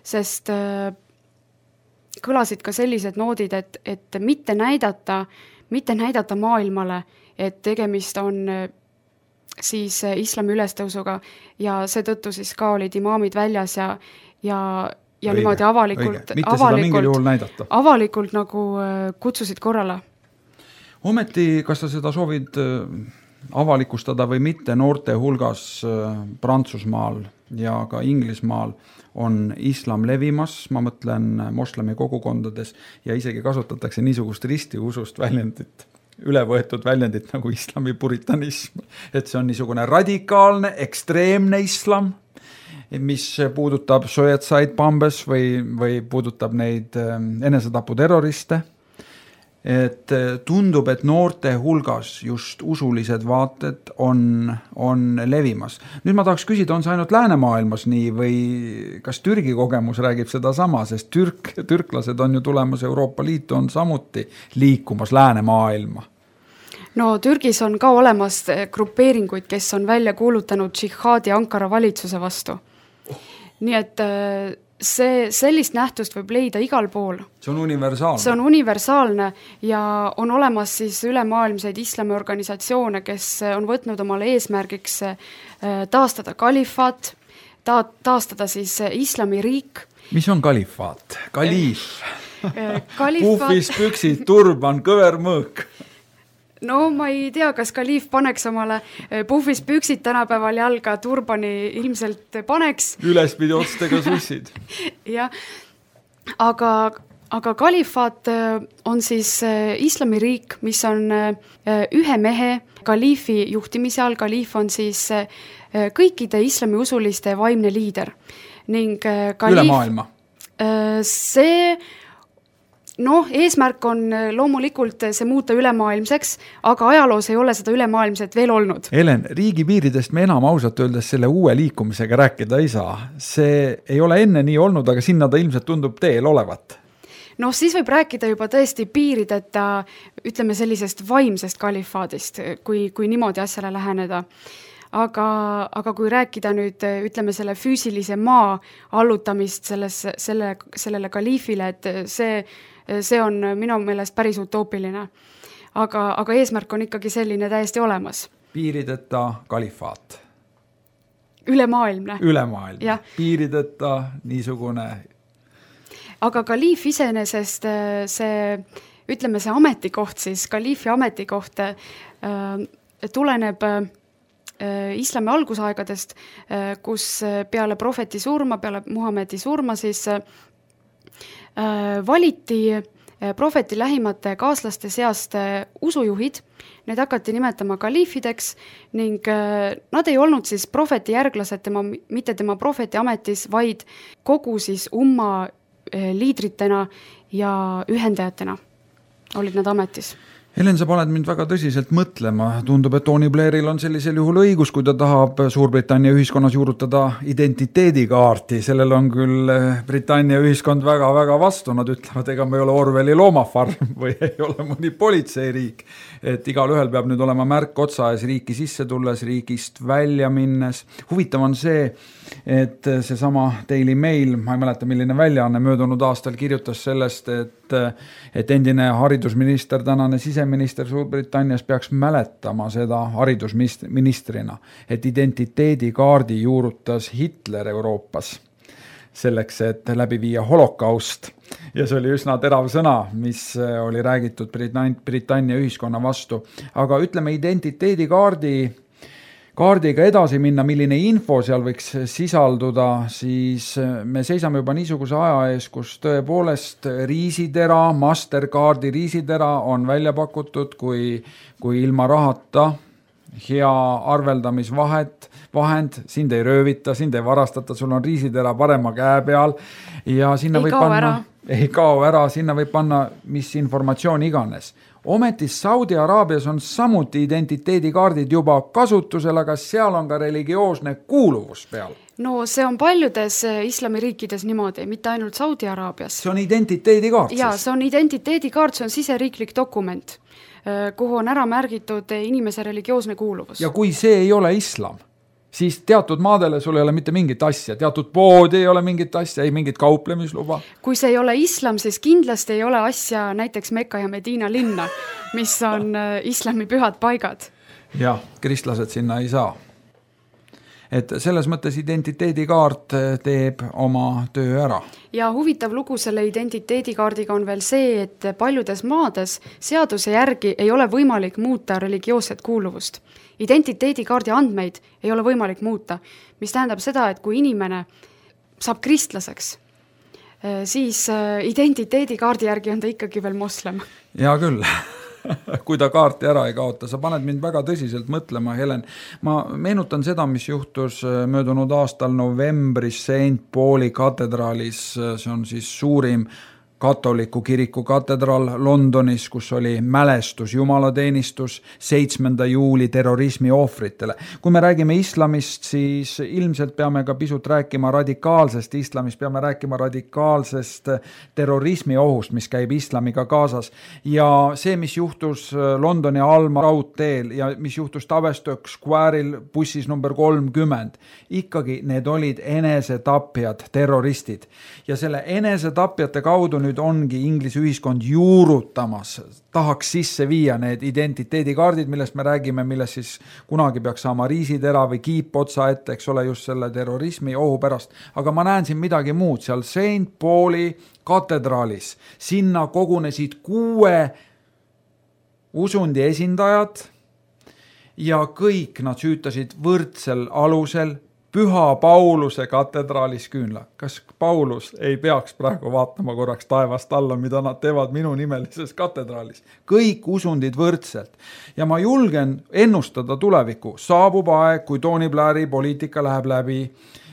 sest kõlasid ka sellised noodid, et, et mitte näidata, mitte näidata maailmale, et tegemist on siis islami ülestõusuga ja seetõttu siis ka olid imaamid väljas ja, ja, ja õige, niimoodi avalikult, avalikult, avalikult nagu kutsusid korrale.
Ometi, kas sa seda soovid avalikustada või mitte noorte hulgas Prantsusmaal ja ka Inglismaal on islam levimas, ma mõtlen moslemi kogukondades, ja isegi kasutatakse niisugust ristiusust väljendit, ülevõetud väljendit nagu islami puritanism, et see on niisugune radikaalne, ekstreemne islam, mis puudutab suicide bombes või, või puudutab neid enesetaputerroriste. Et tundub, et noorte hulgas just usulised vaated on, on levimas. Nüüd ma tahaks küsida, on see ainult läänemaailmas nii või kas Türgi kogemus räägib seda sama, sest türk, türklased on ju tulemas Euroopa Liitu, on samuti liikumas läänemaailma?
No Türgis on ka olemas grupeeringuid, kes on välja kuulutanud džihaadi Ankara valitsuse vastu. Nii et see, sellist nähtust võib leida igal pool.
See on universaalne.
See on universaalne ja on olemas siis ülemaailmseid islamiorganisatsioone, kes on võtnud omale eesmärgiks taastada kalifaat, ta, taastada siis islamiriik.
Mis on kalifaat? Kaliif.
Kalifaat.
Puhvis, püksid, turban, kõver mõõk.
No ma ei tea, kas kaliif paneks omale puhvis püksid tänapäeval jalga, turbani ilmselt paneks.
Ülespidi otstega sussid.
Ja, aga, aga kalifaat on siis islamiriik, mis on ühe mehe kaliifi juhtimise all. Kaliif on siis kõikide islamiusuliste vaimne liider. Ning kaliif,
üle maailma?
See... Noh, eesmärk on loomulikult see muuta ülemaailmseks, aga ajaloos ei ole seda ülemaailmset veel olnud.
Helen, riigipiiridest me enam ausalt öeldes selle uue liikumisega rääkida ei saa. See ei ole enne nii olnud, aga sinna ta ilmselt tundub teel olevat.
No siis võib rääkida juba tõesti piirideta, ütleme sellisest vaimsest kalifaadist, kui, kui niimoodi asjale läheneda. Aga, aga kui rääkida nüüd, ütleme selle füüsilise maa allutamist selles, selle, sellele kaliifile, et see see on minu meelest päris utoopiline. Aga, aga eesmärk on ikkagi selline täiesti olemas.
Piirideta kalifaat.
Ülemaailmne.
Ülemaailmne. Piirideta niisugune.
Aga kaliif iseenesest see, ütleme see ametikoht siis, kaliifi ametikoht äh, tuleneb äh, islami algusaegadest, äh, kus peale prohveti surma, peale Muhamedi surma siis äh, valiti prohveti lähimate kaaslaste seast usujuhid, need hakati nimetama kaliifideks ning nad ei olnud siis prohveti järglased tema, mitte tema prohveti ametis, vaid kogu siis umma liidritena ja ühendajatena olid nad ametis.
Helen, sa paned mind väga tõsiselt mõtlema. Tundub, et Tony Blairil on sellisel juhul õigus, kui ta tahab Suurbritannia ühiskonnas juurutada identiteedikaarti. Sellel on küll Britannia ühiskond väga-väga vastu. Nad ütlevad, ega me ei ole Orwelli loomafarm või ei ole mõni politseiriik. Et igal ühel peab nüüd olema märk otsa ees riiki sisse tulles, riigist välja minnes. Huvitav on see, et seesama Daily Mail, ma ei mäleta, milline väljaanne möödunud aastal kirjutas sellest, et, et endine haridusminister, tänane siseminister Suurbritannias peaks mäletama seda haridusministrina, et identiteedikaardi juurutas Hitler Euroopas selleks, et läbi viia holokaust. Ja see oli üsna terav sõna, mis oli räägitud Britannia ühiskonna vastu. Aga ütleme identiteedikaardi kaardiga edasi minna, milline info seal võiks sisalduda, siis me seisame juba niisuguse aja ees, kus tõepoolest riisitera, Mastercardi riisitera on välja pakutud kui, kui ilma rahata hea arveldamisvahet, vahend, sind ei röövita, sind ei varastata, sul on riisitera parema käe peal ja sinna
ei
võib
kao
panna,
ära.
ei kao ära, sinna võib panna mis informatsioon iganes. Ometi Saudi Araabias on samuti identiteedikaardid juba kasutusel, aga seal on ka religioosne kuuluvus peal.
No see on paljudes islamiriikides niimoodi, mitte ainult Saudi Araabias.
See on identiteedikaart.
Ja, see on identiteedikaart, see on siseriiklik dokument, kuhu on ära märgitud inimese religioosne kuuluvus.
Ja kui see ei ole islam, siis teatud maadele sul ei ole mitte mingit asja, teatud poodi ei ole mingit asja, ei mingit kauplemisluba.
Kui see ei ole islam, siis kindlasti ei ole asja näiteks Mekka ja Medina linna, mis on islami pühad paigad.
Jah, kristlased sinna ei saa. et selles mõttes identiteedikaart teeb oma töö ära.
Ja huvitav lugu selle identiteedikaardiga on veel see, et paljudes maades seaduse järgi ei ole võimalik muuta religioosset kuuluvust. Identiteedikaardi andmeid ei ole võimalik muuta, mis tähendab seda, et kui inimene saab kristlaseks, siis identiteedikaardi järgi on ta ikkagi veel moslem.
Hea küll. Kui ta kaarti ära ei kaota, sa paned mind väga tõsiselt mõtlema, Helen. Ma meenutan seda, mis juhtus möödunud aastal novembris Saint Pauli katedraalis, see on siis suurim katoliku kiriku katedraal Londonis, kus oli mälestus, jumalateenistus seitsmenda juuli terrorismi ohvritele. Kui me räägime islamist, siis ilmselt peame ka pisut rääkima radikaalsest islamist, peame rääkima radikaalsest terrorismi ohust, mis käib islamiga kaasas. Ja see, mis juhtus Londoni Alma raudteel ja mis juhtus Tavistock Square'il bussis number kolmkümmend, ikkagi need olid enesetapjad, terroristid. Ja selle enesetapjate kaudu nüüd ongi Inglise ühiskond juurutamas, tahaks sisse viia need identiteedikaardid, millest me räägime, millest siis kunagi peaks saama riisitera või kiip otsa ette, eks ole, just selle terrorismi ohu pärast. Aga ma näen siin midagi muud, seal Saint Pauli katedraalis, sinna kogunesid kuue usundi esindajad ja kõik nad süütasid võrdsel alusel Püha Pauluse katedraalis küünla. Kas Paulus ei peaks praegu vaatama korraks taevast alla, mida nad teevad minu nimelises katedraalis? Kõik usundid võrdselt. Ja ma julgen ennustada tulevikku. Saabub aeg, kui Tony Blairi poliitika läheb läbi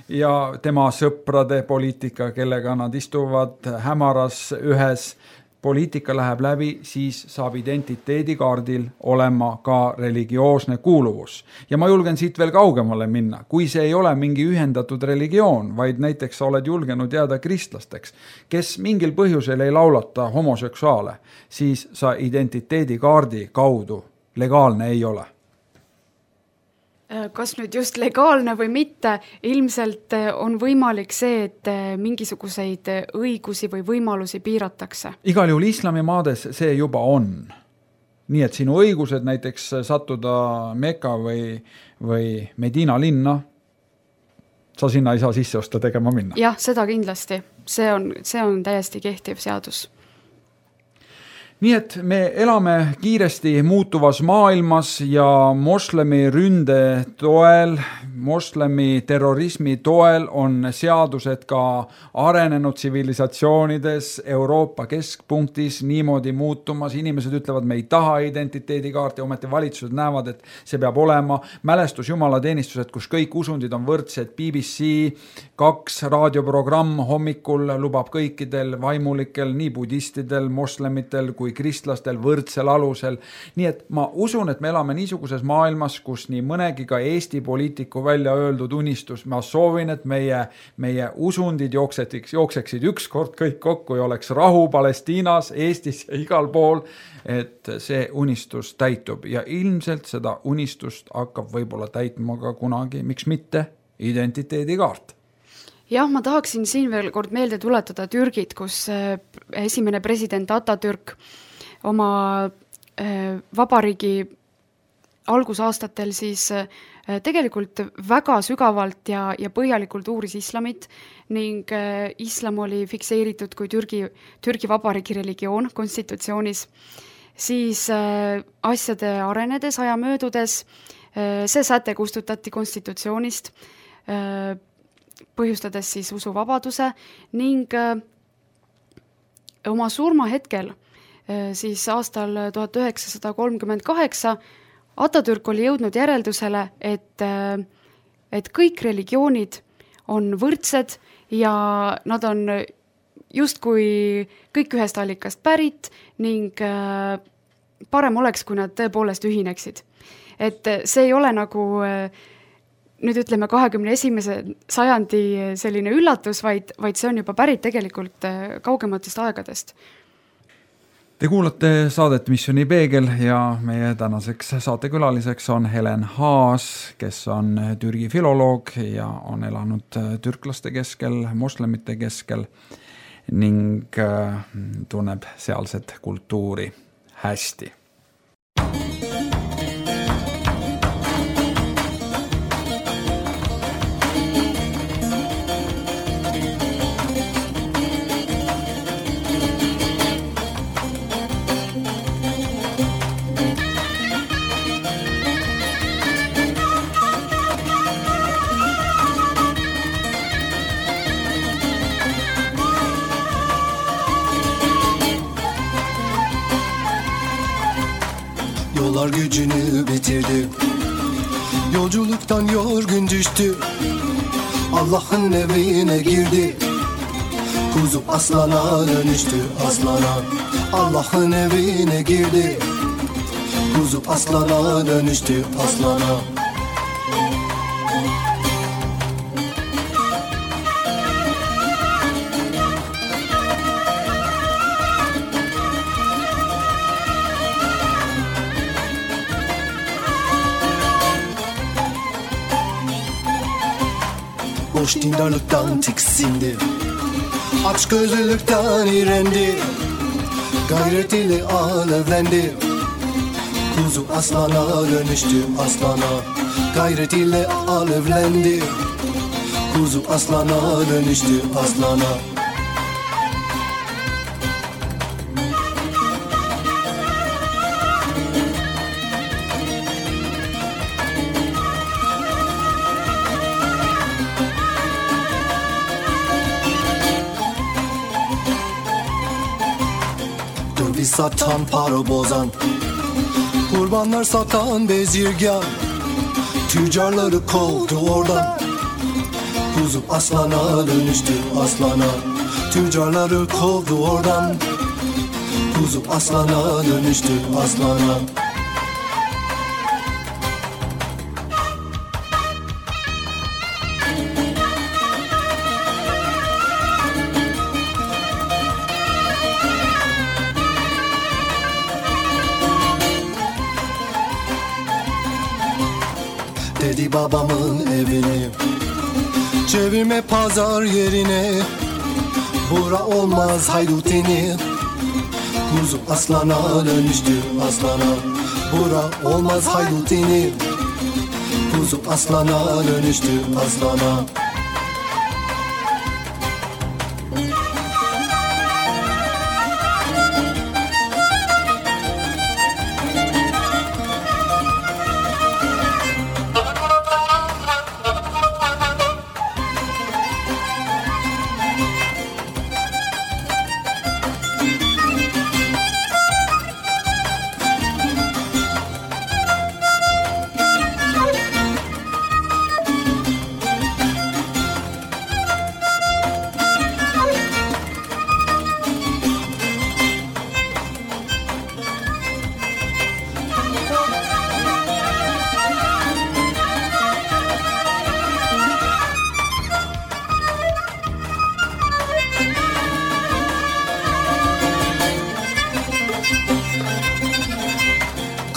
ja tema sõprade poliitika, kellega nad istuvad hämaras ühes poliitika läheb läbi, siis saab identiteedikaardil olema ka religioosne kuuluvus. Ja ma julgen siit veel kaugemale minna. Kui see ei ole mingi ühendatud religioon, vaid näiteks sa oled julgenud jääda kristlasteks, kes mingil põhjusel ei laulata homoseksuaale, siis sa identiteedikaardi kaudu legaalne ei ole.
Kas nüüd just legaalne või mitte, ilmselt on võimalik see, et mingisuguseid õigusi või võimalusi piiratakse.
Igal juhul islamimaades see juba on. Nii et sinu õigused näiteks sattuda Mekka või, või Medina linna, sa sinna ei saa sisse osta tegema minna.
Jah, seda kindlasti. See on, see on täiesti kehtiv seadus.
Nii et me elame kiiresti muutuvas maailmas ja moslemi ründe toel, moslemi terrorismi toel on seadused ka arenenud tsivilisatsioonides Euroopa keskpunktis niimoodi muutumas. Inimesed ütlevad, me ei taha identiteedikaarti, ometi valitsused näevad, et see peab olema. Mälestus jumalateenistused, kus kõik usundid on võrdsed. B B C kaks raadioprogramm hommikul lubab kõikidel vaimulikel, nii budistidel, moslemitel kui kristlastel võrdsel alusel. Nii et ma usun, et me elame niisuguses maailmas, kus nii mõnegi ka Eesti poliitiku välja öeldud unistus. Ma soovin, et meie, meie usundid jookseksid, jookseksid ükskord kõik kokku ja oleks rahu Palestiinas, Eestis ja igal pool, et see unistus täitub. Ja ilmselt seda unistust hakkab võib-olla täitma ka kunagi, miks mitte, identiteedikaart.
Jah, ma tahaksin siin veel kord meelde tuletada Türgit, kus esimene president Atatürk oma vabariigi algusaastatel siis tegelikult väga sügavalt ja, ja põhjalikult uuris islamit ning islam oli fikseeritud kui Türgi, Türgi vabariigi religioon konstitutsioonis. Siis asjade arenedes, aja möödudes, see säte kustutati konstitutsioonist, põhjustades siis usuvabaduse ning oma surma hetkel siis aastal tuhat üheksasada kolmkümmend kaheksa Atatürk oli jõudnud järeldusele, et, et kõik religioonid on võrdsed ja nad on justkui kõik ühest allikast pärit ning parem oleks, kui nad tõepoolest ühineksid. Et see ei ole nagu nüüd ütleme kahekümne esimese sajandi selline üllatus, vaid, vaid see on juba pärit tegelikult kaugematest aegadest.
Te kuulate saadet Missiooni Peegel ja meie tänaseks saatekülaliseks on Helen Haas, kes on Türgi filoloog ja on elanud türklaste keskel, moslemite keskel ning tunneb sealset kultuuri hästi.
Yollar gücünü bitirdi. Yolculuktan yorgun düştü. Allah'ın evine girdi. Kuzu aslana dönüştü, aslana. Allah'ın evine girdi. Kuzu aslana dönüştü, aslana. Boş dindarlıktan tiksindi. Aç gözlülükten iğrendi. Gayret ile alevlendi. Kuzu aslana dönüştü, aslana. Gayret ile alevlendi. Kuzu aslana dönüştü, aslana. Döviz satan, para bozan, kurbanlar satan bezirgan, tüccarları kovdu oradan. Kuzu aslana dönüştü, aslana. Tüccarları kovdu oradan. Kuzu aslana dönüştü, aslana. Dedi babamın evini çevirme pazar yerine. Bura olmaz haydutini. Kuzu aslana dönüştü, aslana. Bura olmaz haydutini. Kuzu aslana dönüştü, aslana.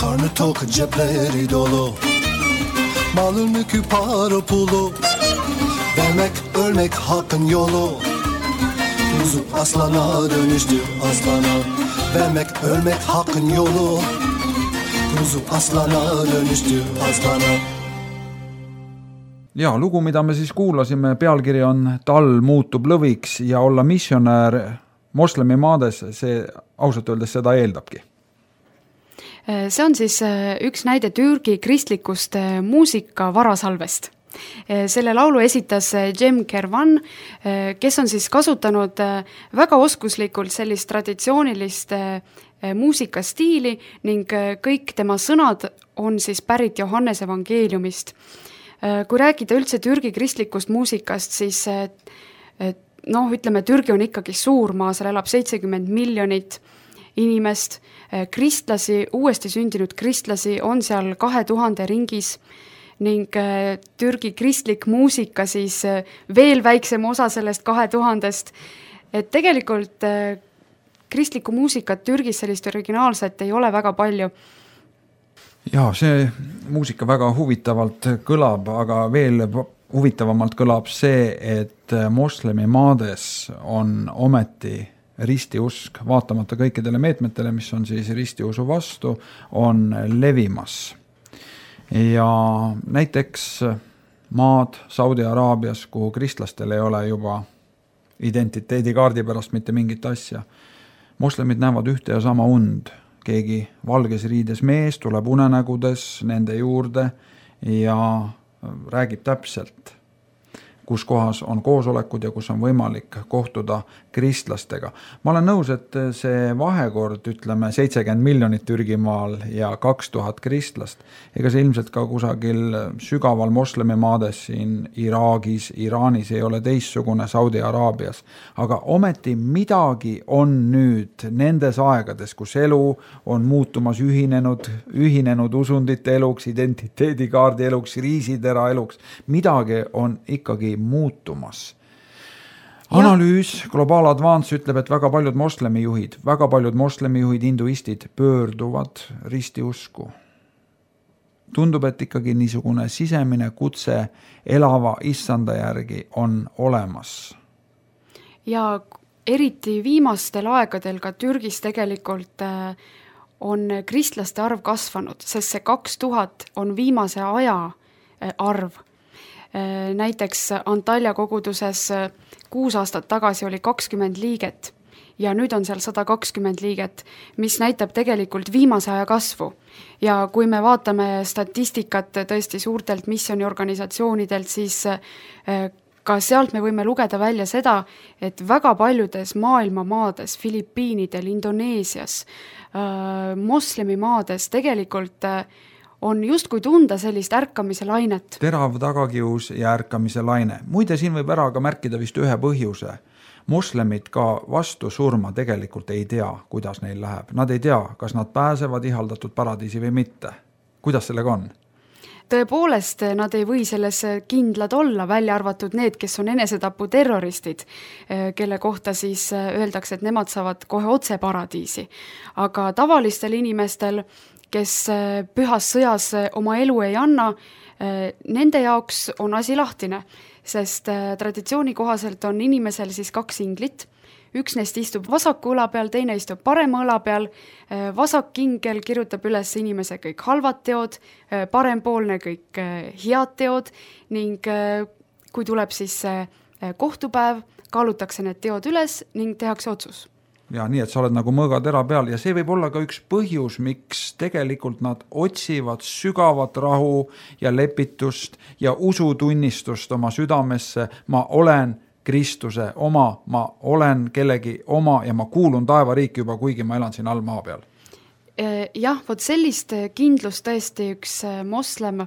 Karnı tok, cepleri dolu. Malın mülkü para pulu. Vermek ölmek hakkın yolu. Kuzu aslana dönüştü, aslana. Vermek ölmek hakkın yolu. Kuzu aslana dönüştü, aslana.
Ja, lugu, mida me siis kuulasime, pealkiri on Talv muutub lõviks ja olla missionär moslemi maades, see ausalt öeldes seda eeldabki.
See on siis üks näide Türgi kristlikust muusika varasalvest. Selle laulu esitas Cem Kervan, kes on siis kasutanud väga oskuslikult sellist traditsioonilist muusikastiili ning kõik tema sõnad on siis pärit Johannese evangeeliumist. Kui rääkida üldse Türgi kristlikust muusikast, siis noh, ütleme, Türgi on ikkagi suur maa, seal elab seitsekümmend miljonit inimest, kristlasi, uuesti sündinud kristlasi on seal kahe tuhande ringis ning Türgi kristlik muusika siis veel väiksem osa sellest kahe tuhandest. Et tegelikult kristlikku muusikat Türgis sellist originaalset ei ole väga palju.
Ja, see muusika väga huvitavalt kõlab, aga veel huvitavamalt kõlab see, et moslemi maades on ometi ristiusk, vaatamata kõikidele meetmetele, mis on siis ristiusu vastu, on levimas. Ja näiteks maad Saudi Araabias, kuhu kristlastel ei ole juba identiteedikaardi pärast mitte mingit asja. Moslemid näevad ühte ja sama und. Keegi valges riides mees tuleb unenägudes nende juurde ja räägib täpselt, kus kohas on koosolekud ja kus on võimalik kohtuda kristlastega. Ma olen nõus, et see vahekord, ütleme, seitsekümmend miljonit Türgimaal ja kaks tuhat kristlast, ega see ilmselt ka kusagil sügaval moslemimaades siin Iraagis, Iraanis ei ole teistsugune, Saudi Araabias. Aga ometi midagi on nüüd nendes aegades, kus elu on muutumas ühinenud, ühinenud usundite eluks, identiteedikaardi eluks, riisitera eluks, midagi on ikkagi muutumas. Analüüs Global Advance ütleb, et väga paljud moslemijuhid, väga paljud moslemijuhid, hinduistid pöörduvad ristiusku. Tundub, et ikkagi niisugune sisemine kutse elava issanda järgi on olemas.
Ja eriti viimastel aegadel ka Türgis tegelikult on kristlaste arv kasvanud, sest see kaks tuhat on viimase aja arv. Näiteks Antalya koguduses kuus aastat tagasi oli kakskümmend liiget ja nüüd on seal sada kakskümmend liiget, mis näitab tegelikult viimase aja kasvu. Ja kui me vaatame statistikat tõesti suurtelt missioniorganisatsioonidelt, siis ka sealt me võime lugeda välja seda, et väga paljudes maailma maades, Filipiinidel, Indoneesias, moslemimaades tegelikult on justkui tunda sellist ärkamise lainet.
Terav tagakius ja ärkamise laine. Muide, siin võib ära ka märkida vist ühe põhjuse. Moslemid ka vastu surma tegelikult ei tea, kuidas neil läheb. Nad ei tea, kas nad pääsevad ihaldatud paradiisi või mitte. Kuidas sellega on?
Tõepoolest, nad ei või selles kindlad olla, välja arvatud need, kes on enesetapu terroristid, kelle kohta siis öeldakse, et nemad saavad kohe otse paradiisi. Aga tavalistel inimestel, kes pühas sõjas oma elu ei anna, nende jaoks on asi lahtine, sest traditsiooni kohaselt on inimesel siis kaks inglit. Üks neist istub vasaku õla peal, teine istub parema õla peal. Vasak ingel kirjutab üles inimese kõik halvad teod, parempoolne kõik head teod ning kui tuleb siis kohtupäev, kaalutakse need teod üles ning tehakse otsus.
Ja nii, et sa oled nagu mõõgatera peal ja see võib olla ka üks põhjus, miks tegelikult nad otsivad sügavat rahu ja lepitust ja usutunnistust oma südamesse. Ma olen Kristuse oma, ma olen kellegi oma ja ma kuulun taevariiki juba, kuigi ma elan siin all maa peal.
Jah, vot sellist kindlust tõesti üks moslem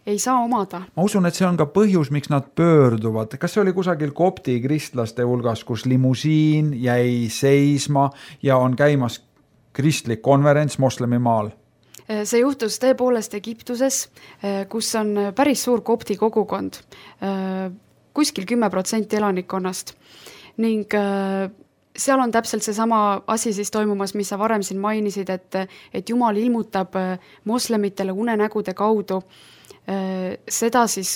ei saa omada.
Ma usun, et see on ka põhjus, miks nad pöörduvad. Kas see oli kusagil kopti kristlaste hulgas, kus limusiin jäi seisma ja on käimas kristlik konverents moslemimaal?
See juhtus tõepoolest Egiptuses, kus on päris suur kopti kogukond, kuskil kümme protsenti elanikkonnast. Ning seal on täpselt seesama asi siis toimumas, mis sa varem siin mainisid, et, et Jumal ilmutab moslemitele unenägude kaudu seda siis,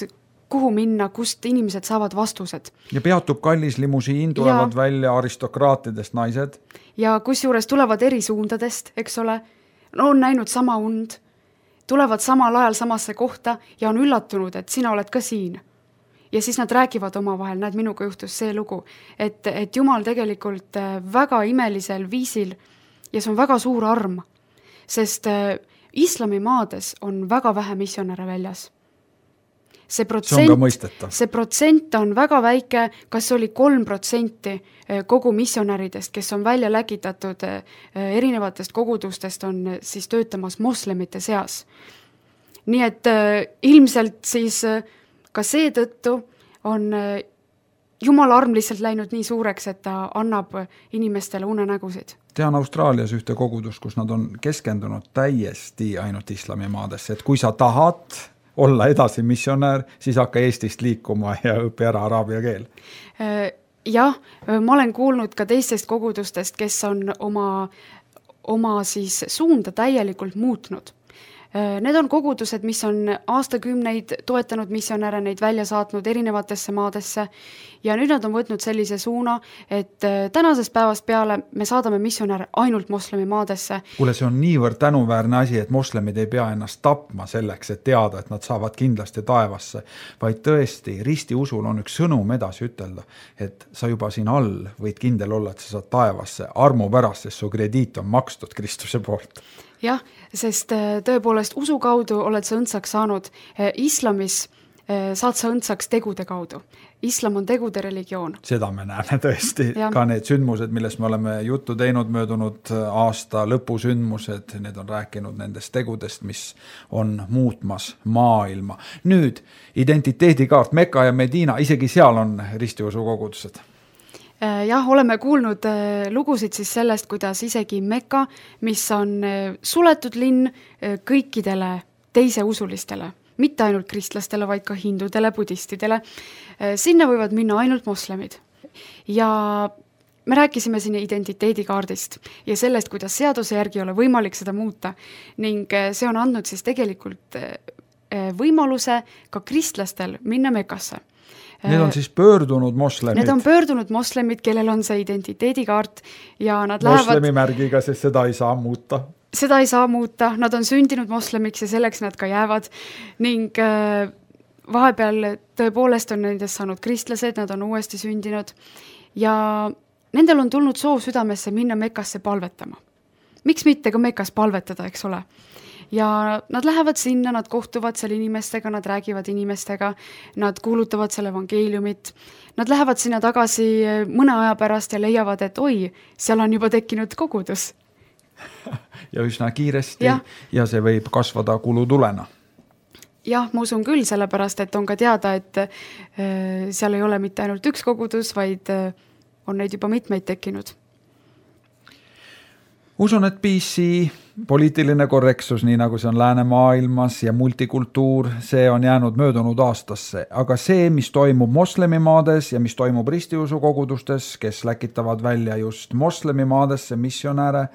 kuhu minna, kust inimesed saavad vastused.
Ja peatub kallis limusiin, tulevad ja välja aristokraatidest naised.
Ja kus juures tulevad eri suundadest, eks ole, no on näinud sama und, tulevad samal ajal samasse kohta ja on üllatunud, et sina oled ka siin. Ja siis nad räägivad oma vahel, näed, minuga juhtus see lugu, et, et Jumal tegelikult väga imelisel viisil ja see on väga suur arm, sest islamimaades on väga vähe missionäre väljas. See protsent,
see on ka mõistetav.
See protsent on väga väike, kas oli kolm protsenti kogu missionäridest, kes on välja lägitatud erinevatest kogudustest, on siis töötamas moslemite seas. Nii et ilmselt siis ka seetõttu on Jumala arm lihtsalt läinud nii suureks, et ta annab inimestele unenägusid.
Tean Austraalias ühte kogudust, kus nad on keskendunud täiesti ainult islamimaadesse, et kui sa tahad olla edasi missionär, siis hakka Eestist liikuma ja õpi ära araabia keel.
Jah, ma olen kuulnud ka teistest kogudustest, kes on oma, oma siis suunda täielikult muutnud. Need on kogudused, mis on aastakümneid toetanud missionäre, neid välja saatnud erinevatesse maadesse ja nüüd nad on võtnud sellise suuna, et tänasest päevast peale me saadame missionäre ainult moslemi maadesse.
Kuule, see on niivõrd tänuväärne asi, et moslemid ei pea ennast tapma selleks, et teada, et nad saavad kindlasti taevasse, vaid tõesti risti usul on üks sõnum edasi ütelda, et sa juba siin all võid kindel olla, et sa saad taevasse armu pärast, sest su krediit on makstud Kristuse poolt.
Jah, sest tõepoolest usu kaudu oled sa õndsaks saanud. Islamis saad sa õndsaks tegude kaudu. Islam on tegude religioon.
Seda me näeme tõesti.
Ja.
Ka need sündmused, millest me oleme juttu teinud möödunud aasta lõpusündmused, need on rääkinud nendest tegudest, mis on muutmas maailma. Nüüd identiteedikaart Mekka ja Medina, isegi seal on ristiusu kogudused.
Jah, oleme kuulnud lugusid siis sellest, kuidas isegi Mekka, mis on suletud linn kõikidele teise usulistele, mitte ainult kristlastele, vaid ka hindudele, budistidele. Sinna võivad minna ainult moslemid. Ja me rääkisime siin identiteedikaardist ja sellest, kuidas seaduse järgi ei ole võimalik seda muuta. Ning see on andnud siis tegelikult võimaluse ka kristlastel minna Mekasse.
Need on siis pöördunud moslemid.
Need on pöördunud moslemid, kellel on see identiteedikaart ja nad
Moslemi
lähevad...
märgiga, sest seda ei saa muuta.
Seda ei saa muuta, nad on sündinud moslemiks ja selleks nad ka jäävad ning äh, vahepeal tõepoolest on nendest saanud kristlased, nad on uuesti sündinud ja nendel on tulnud soov südamesse minna Mekasse palvetama. Miks mitte ka Mekas palvetada, eks ole? Ja nad lähevad sinna, nad kohtuvad seal inimestega, nad räägivad inimestega, nad kuulutavad selle evangeeliumit, nad lähevad sinna tagasi mõne aja pärast ja leiavad, et oi, seal on juba tekkinud kogudus.
Ja üsna kiiresti
ja.
ja see võib kasvada kulutulena.
Jah, ma usun küll, sellepärast, et on ka teada, et äh, seal ei ole mitte ainult üks kogudus, vaid äh, on neid juba mitmeid tekkinud.
Usun, et P C, poliitiline korreksus, nii nagu see on läänemaailmas ja multikultuur, see on jäänud möödunud aastasse. Aga see, mis toimub moslemimaades ja mis toimub ristiusu kogudustes, kes läkitavad välja just moslemimaadesse missionäre,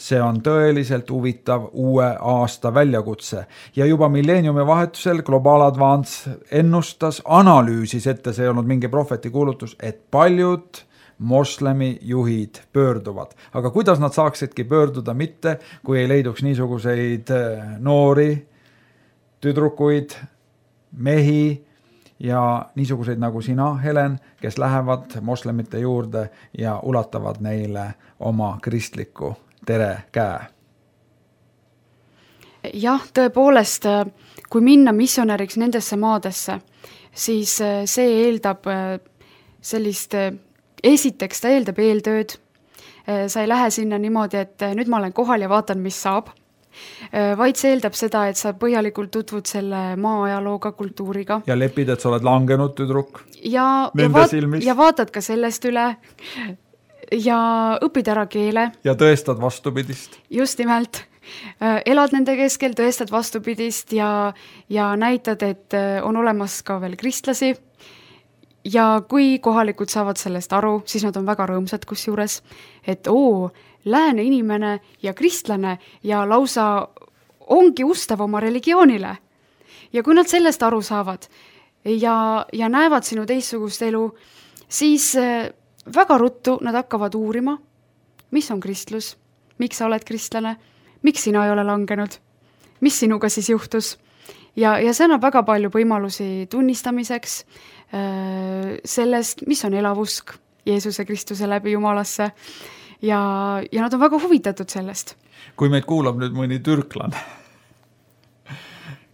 see on tõeliselt huvitav uue aasta väljakutse. Ja juba milleeniumi vahetusel Global Advance ennustas, analüüsis ette, see ei olnud mingi prohveti kuulutus, et paljud moslemi juhid pöörduvad. Aga kuidas nad saaksidki pöörduda mitte, kui ei leiduks niisuguseid noori, tüdrukuid, mehi ja niisuguseid nagu sina, Helen, kes lähevad moslemite juurde ja ulatavad neile oma kristliku tere käe.
Jah, tõepoolest, kui minna missionäriks nendesse maadesse, siis see eeldab sellist, esiteks ta eeldab eeltööd. Sa ei lähe sinna niimoodi, et nüüd ma olen kohal ja vaatan, mis saab. Vaid see eeldab seda, et sa põhjalikult tutvud selle maa ajalooga, kultuuriga.
Ja lepid, et sa oled langenud tüdruk
ja,
nende
ja vaat,
silmis.
Ja vaatad ka sellest üle ja õpid ära keele.
Ja tõestad vastupidist.
Just nimelt. Elad nende keskel, tõestad vastupidist ja, ja näitad, et on olemas ka veel kristlasi. Ja kui kohalikud saavad sellest aru, siis nad on väga rõõmsad kusjuures, et oo, lääne inimene ja kristlane ja lausa ongi ustav oma religioonile. Ja kui nad sellest aru saavad ja, ja näevad sinu teistsugust elu, siis väga ruttu nad hakkavad uurima, mis on kristlus, miks sa oled kristlane, miks sina ei ole langenud, mis sinuga siis juhtus. Ja, ja see annab väga palju võimalusi tunnistamiseks äh, sellest, mis on elavusk Jeesuse Kristuse läbi Jumalasse ja, ja nad on väga huvitatud sellest.
Kui meid kuulab nüüd mõni türklane,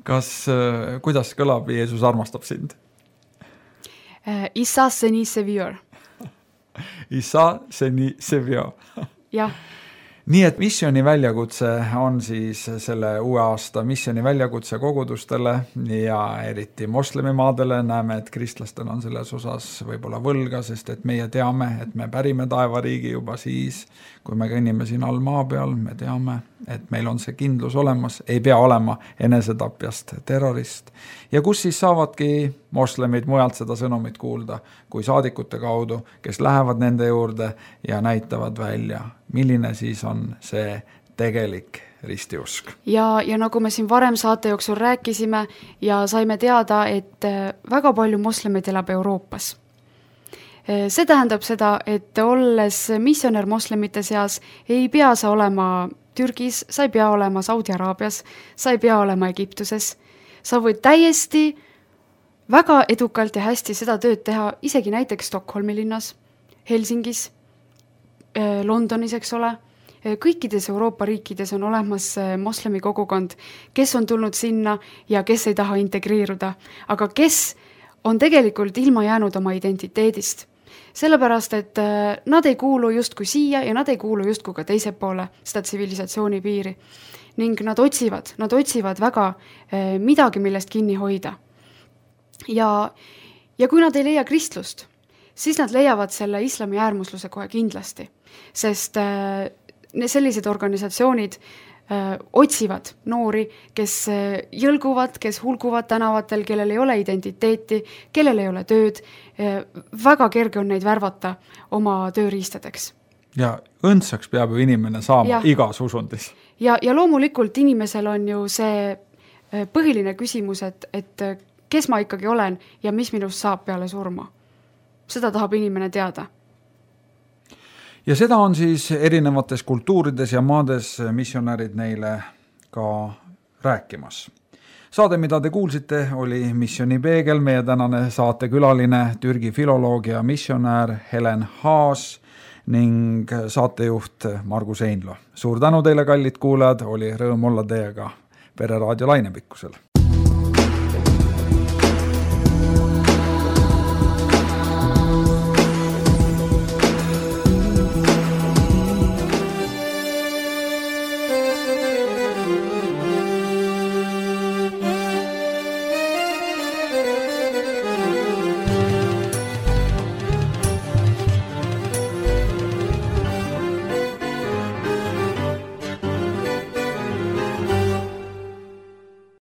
kas, äh, kuidas kõlab Jeesus armastab sind?
Äh, Isa seni sevior.
Isa seni sevior.
Jah.
Nii et missioni väljakutse on siis selle uue aasta missioni väljakutse kogudustele ja eriti moslemimaadele. Näeme, et kristlastel on selles osas võib-olla võlga, sest et meie teame, et me pärime taevariigi juba siis, kui me kõnnime siin all maa peal, me teame, et meil on see kindlus olemas, ei pea olema enesetapjast terrorist. Ja kus siis saavadki moslemid mujalt seda sõnumit kuulda, kui saadikute kaudu, kes lähevad nende juurde ja näitavad välja, milline siis on see tegelik ristiusk.
Ja, ja nagu me siin varem saate jooksul rääkisime ja saime teada, et väga palju moslemeid elab Euroopas. See tähendab seda, et olles missionär moslemite seas, ei pea sa olema Türgis, sa ei pea olema Saudi Araabias, sa ei pea olema Egiptuses. Sa võid täiesti väga edukalt ja hästi seda tööd teha isegi näiteks Stockholmi linnas, Helsingis, Londonis, eks ole, kõikides Euroopa riikides on olemas moslemi kogukond, kes on tulnud sinna ja kes ei taha integreeruda, aga kes on tegelikult ilma jäänud oma identiteedist. Sellepärast, et nad ei kuulu justkui siia ja nad ei kuulu justkui ka teise poole seda tsivilisatsiooni piiri. Ning nad otsivad, nad otsivad väga midagi, millest kinni hoida. Ja, ja kui nad ei leia kristlust, siis nad leiavad selle islami äärmusluse kohe kindlasti. Sest sellised organisatsioonid otsivad noori, kes jõlguvad, kes hulguvad tänavatel, kellel ei ole identiteeti, kellel ei ole tööd. Väga kerge on neid värvata oma tööriistadeks.
Ja õndsaks peab ju inimene saama ja. Igas usundis.
Ja, ja loomulikult inimesel on ju see põhiline küsimus, et, et kes ma ikkagi olen ja mis minust saab peale surma. Seda tahab inimene teada.
Ja seda on siis erinevates kultuurides ja maades missionärid neile ka rääkimas. Saade, mida te kuulsite, oli Missioni peegel, meie tänane saatekülaline Türgi filoloog ja missionär Helen Haas ning saatejuht Margus Einlo. Suur tänu teile, kallid kuulajad, oli rõõm olla teiega Pereraadio lainepikkusel.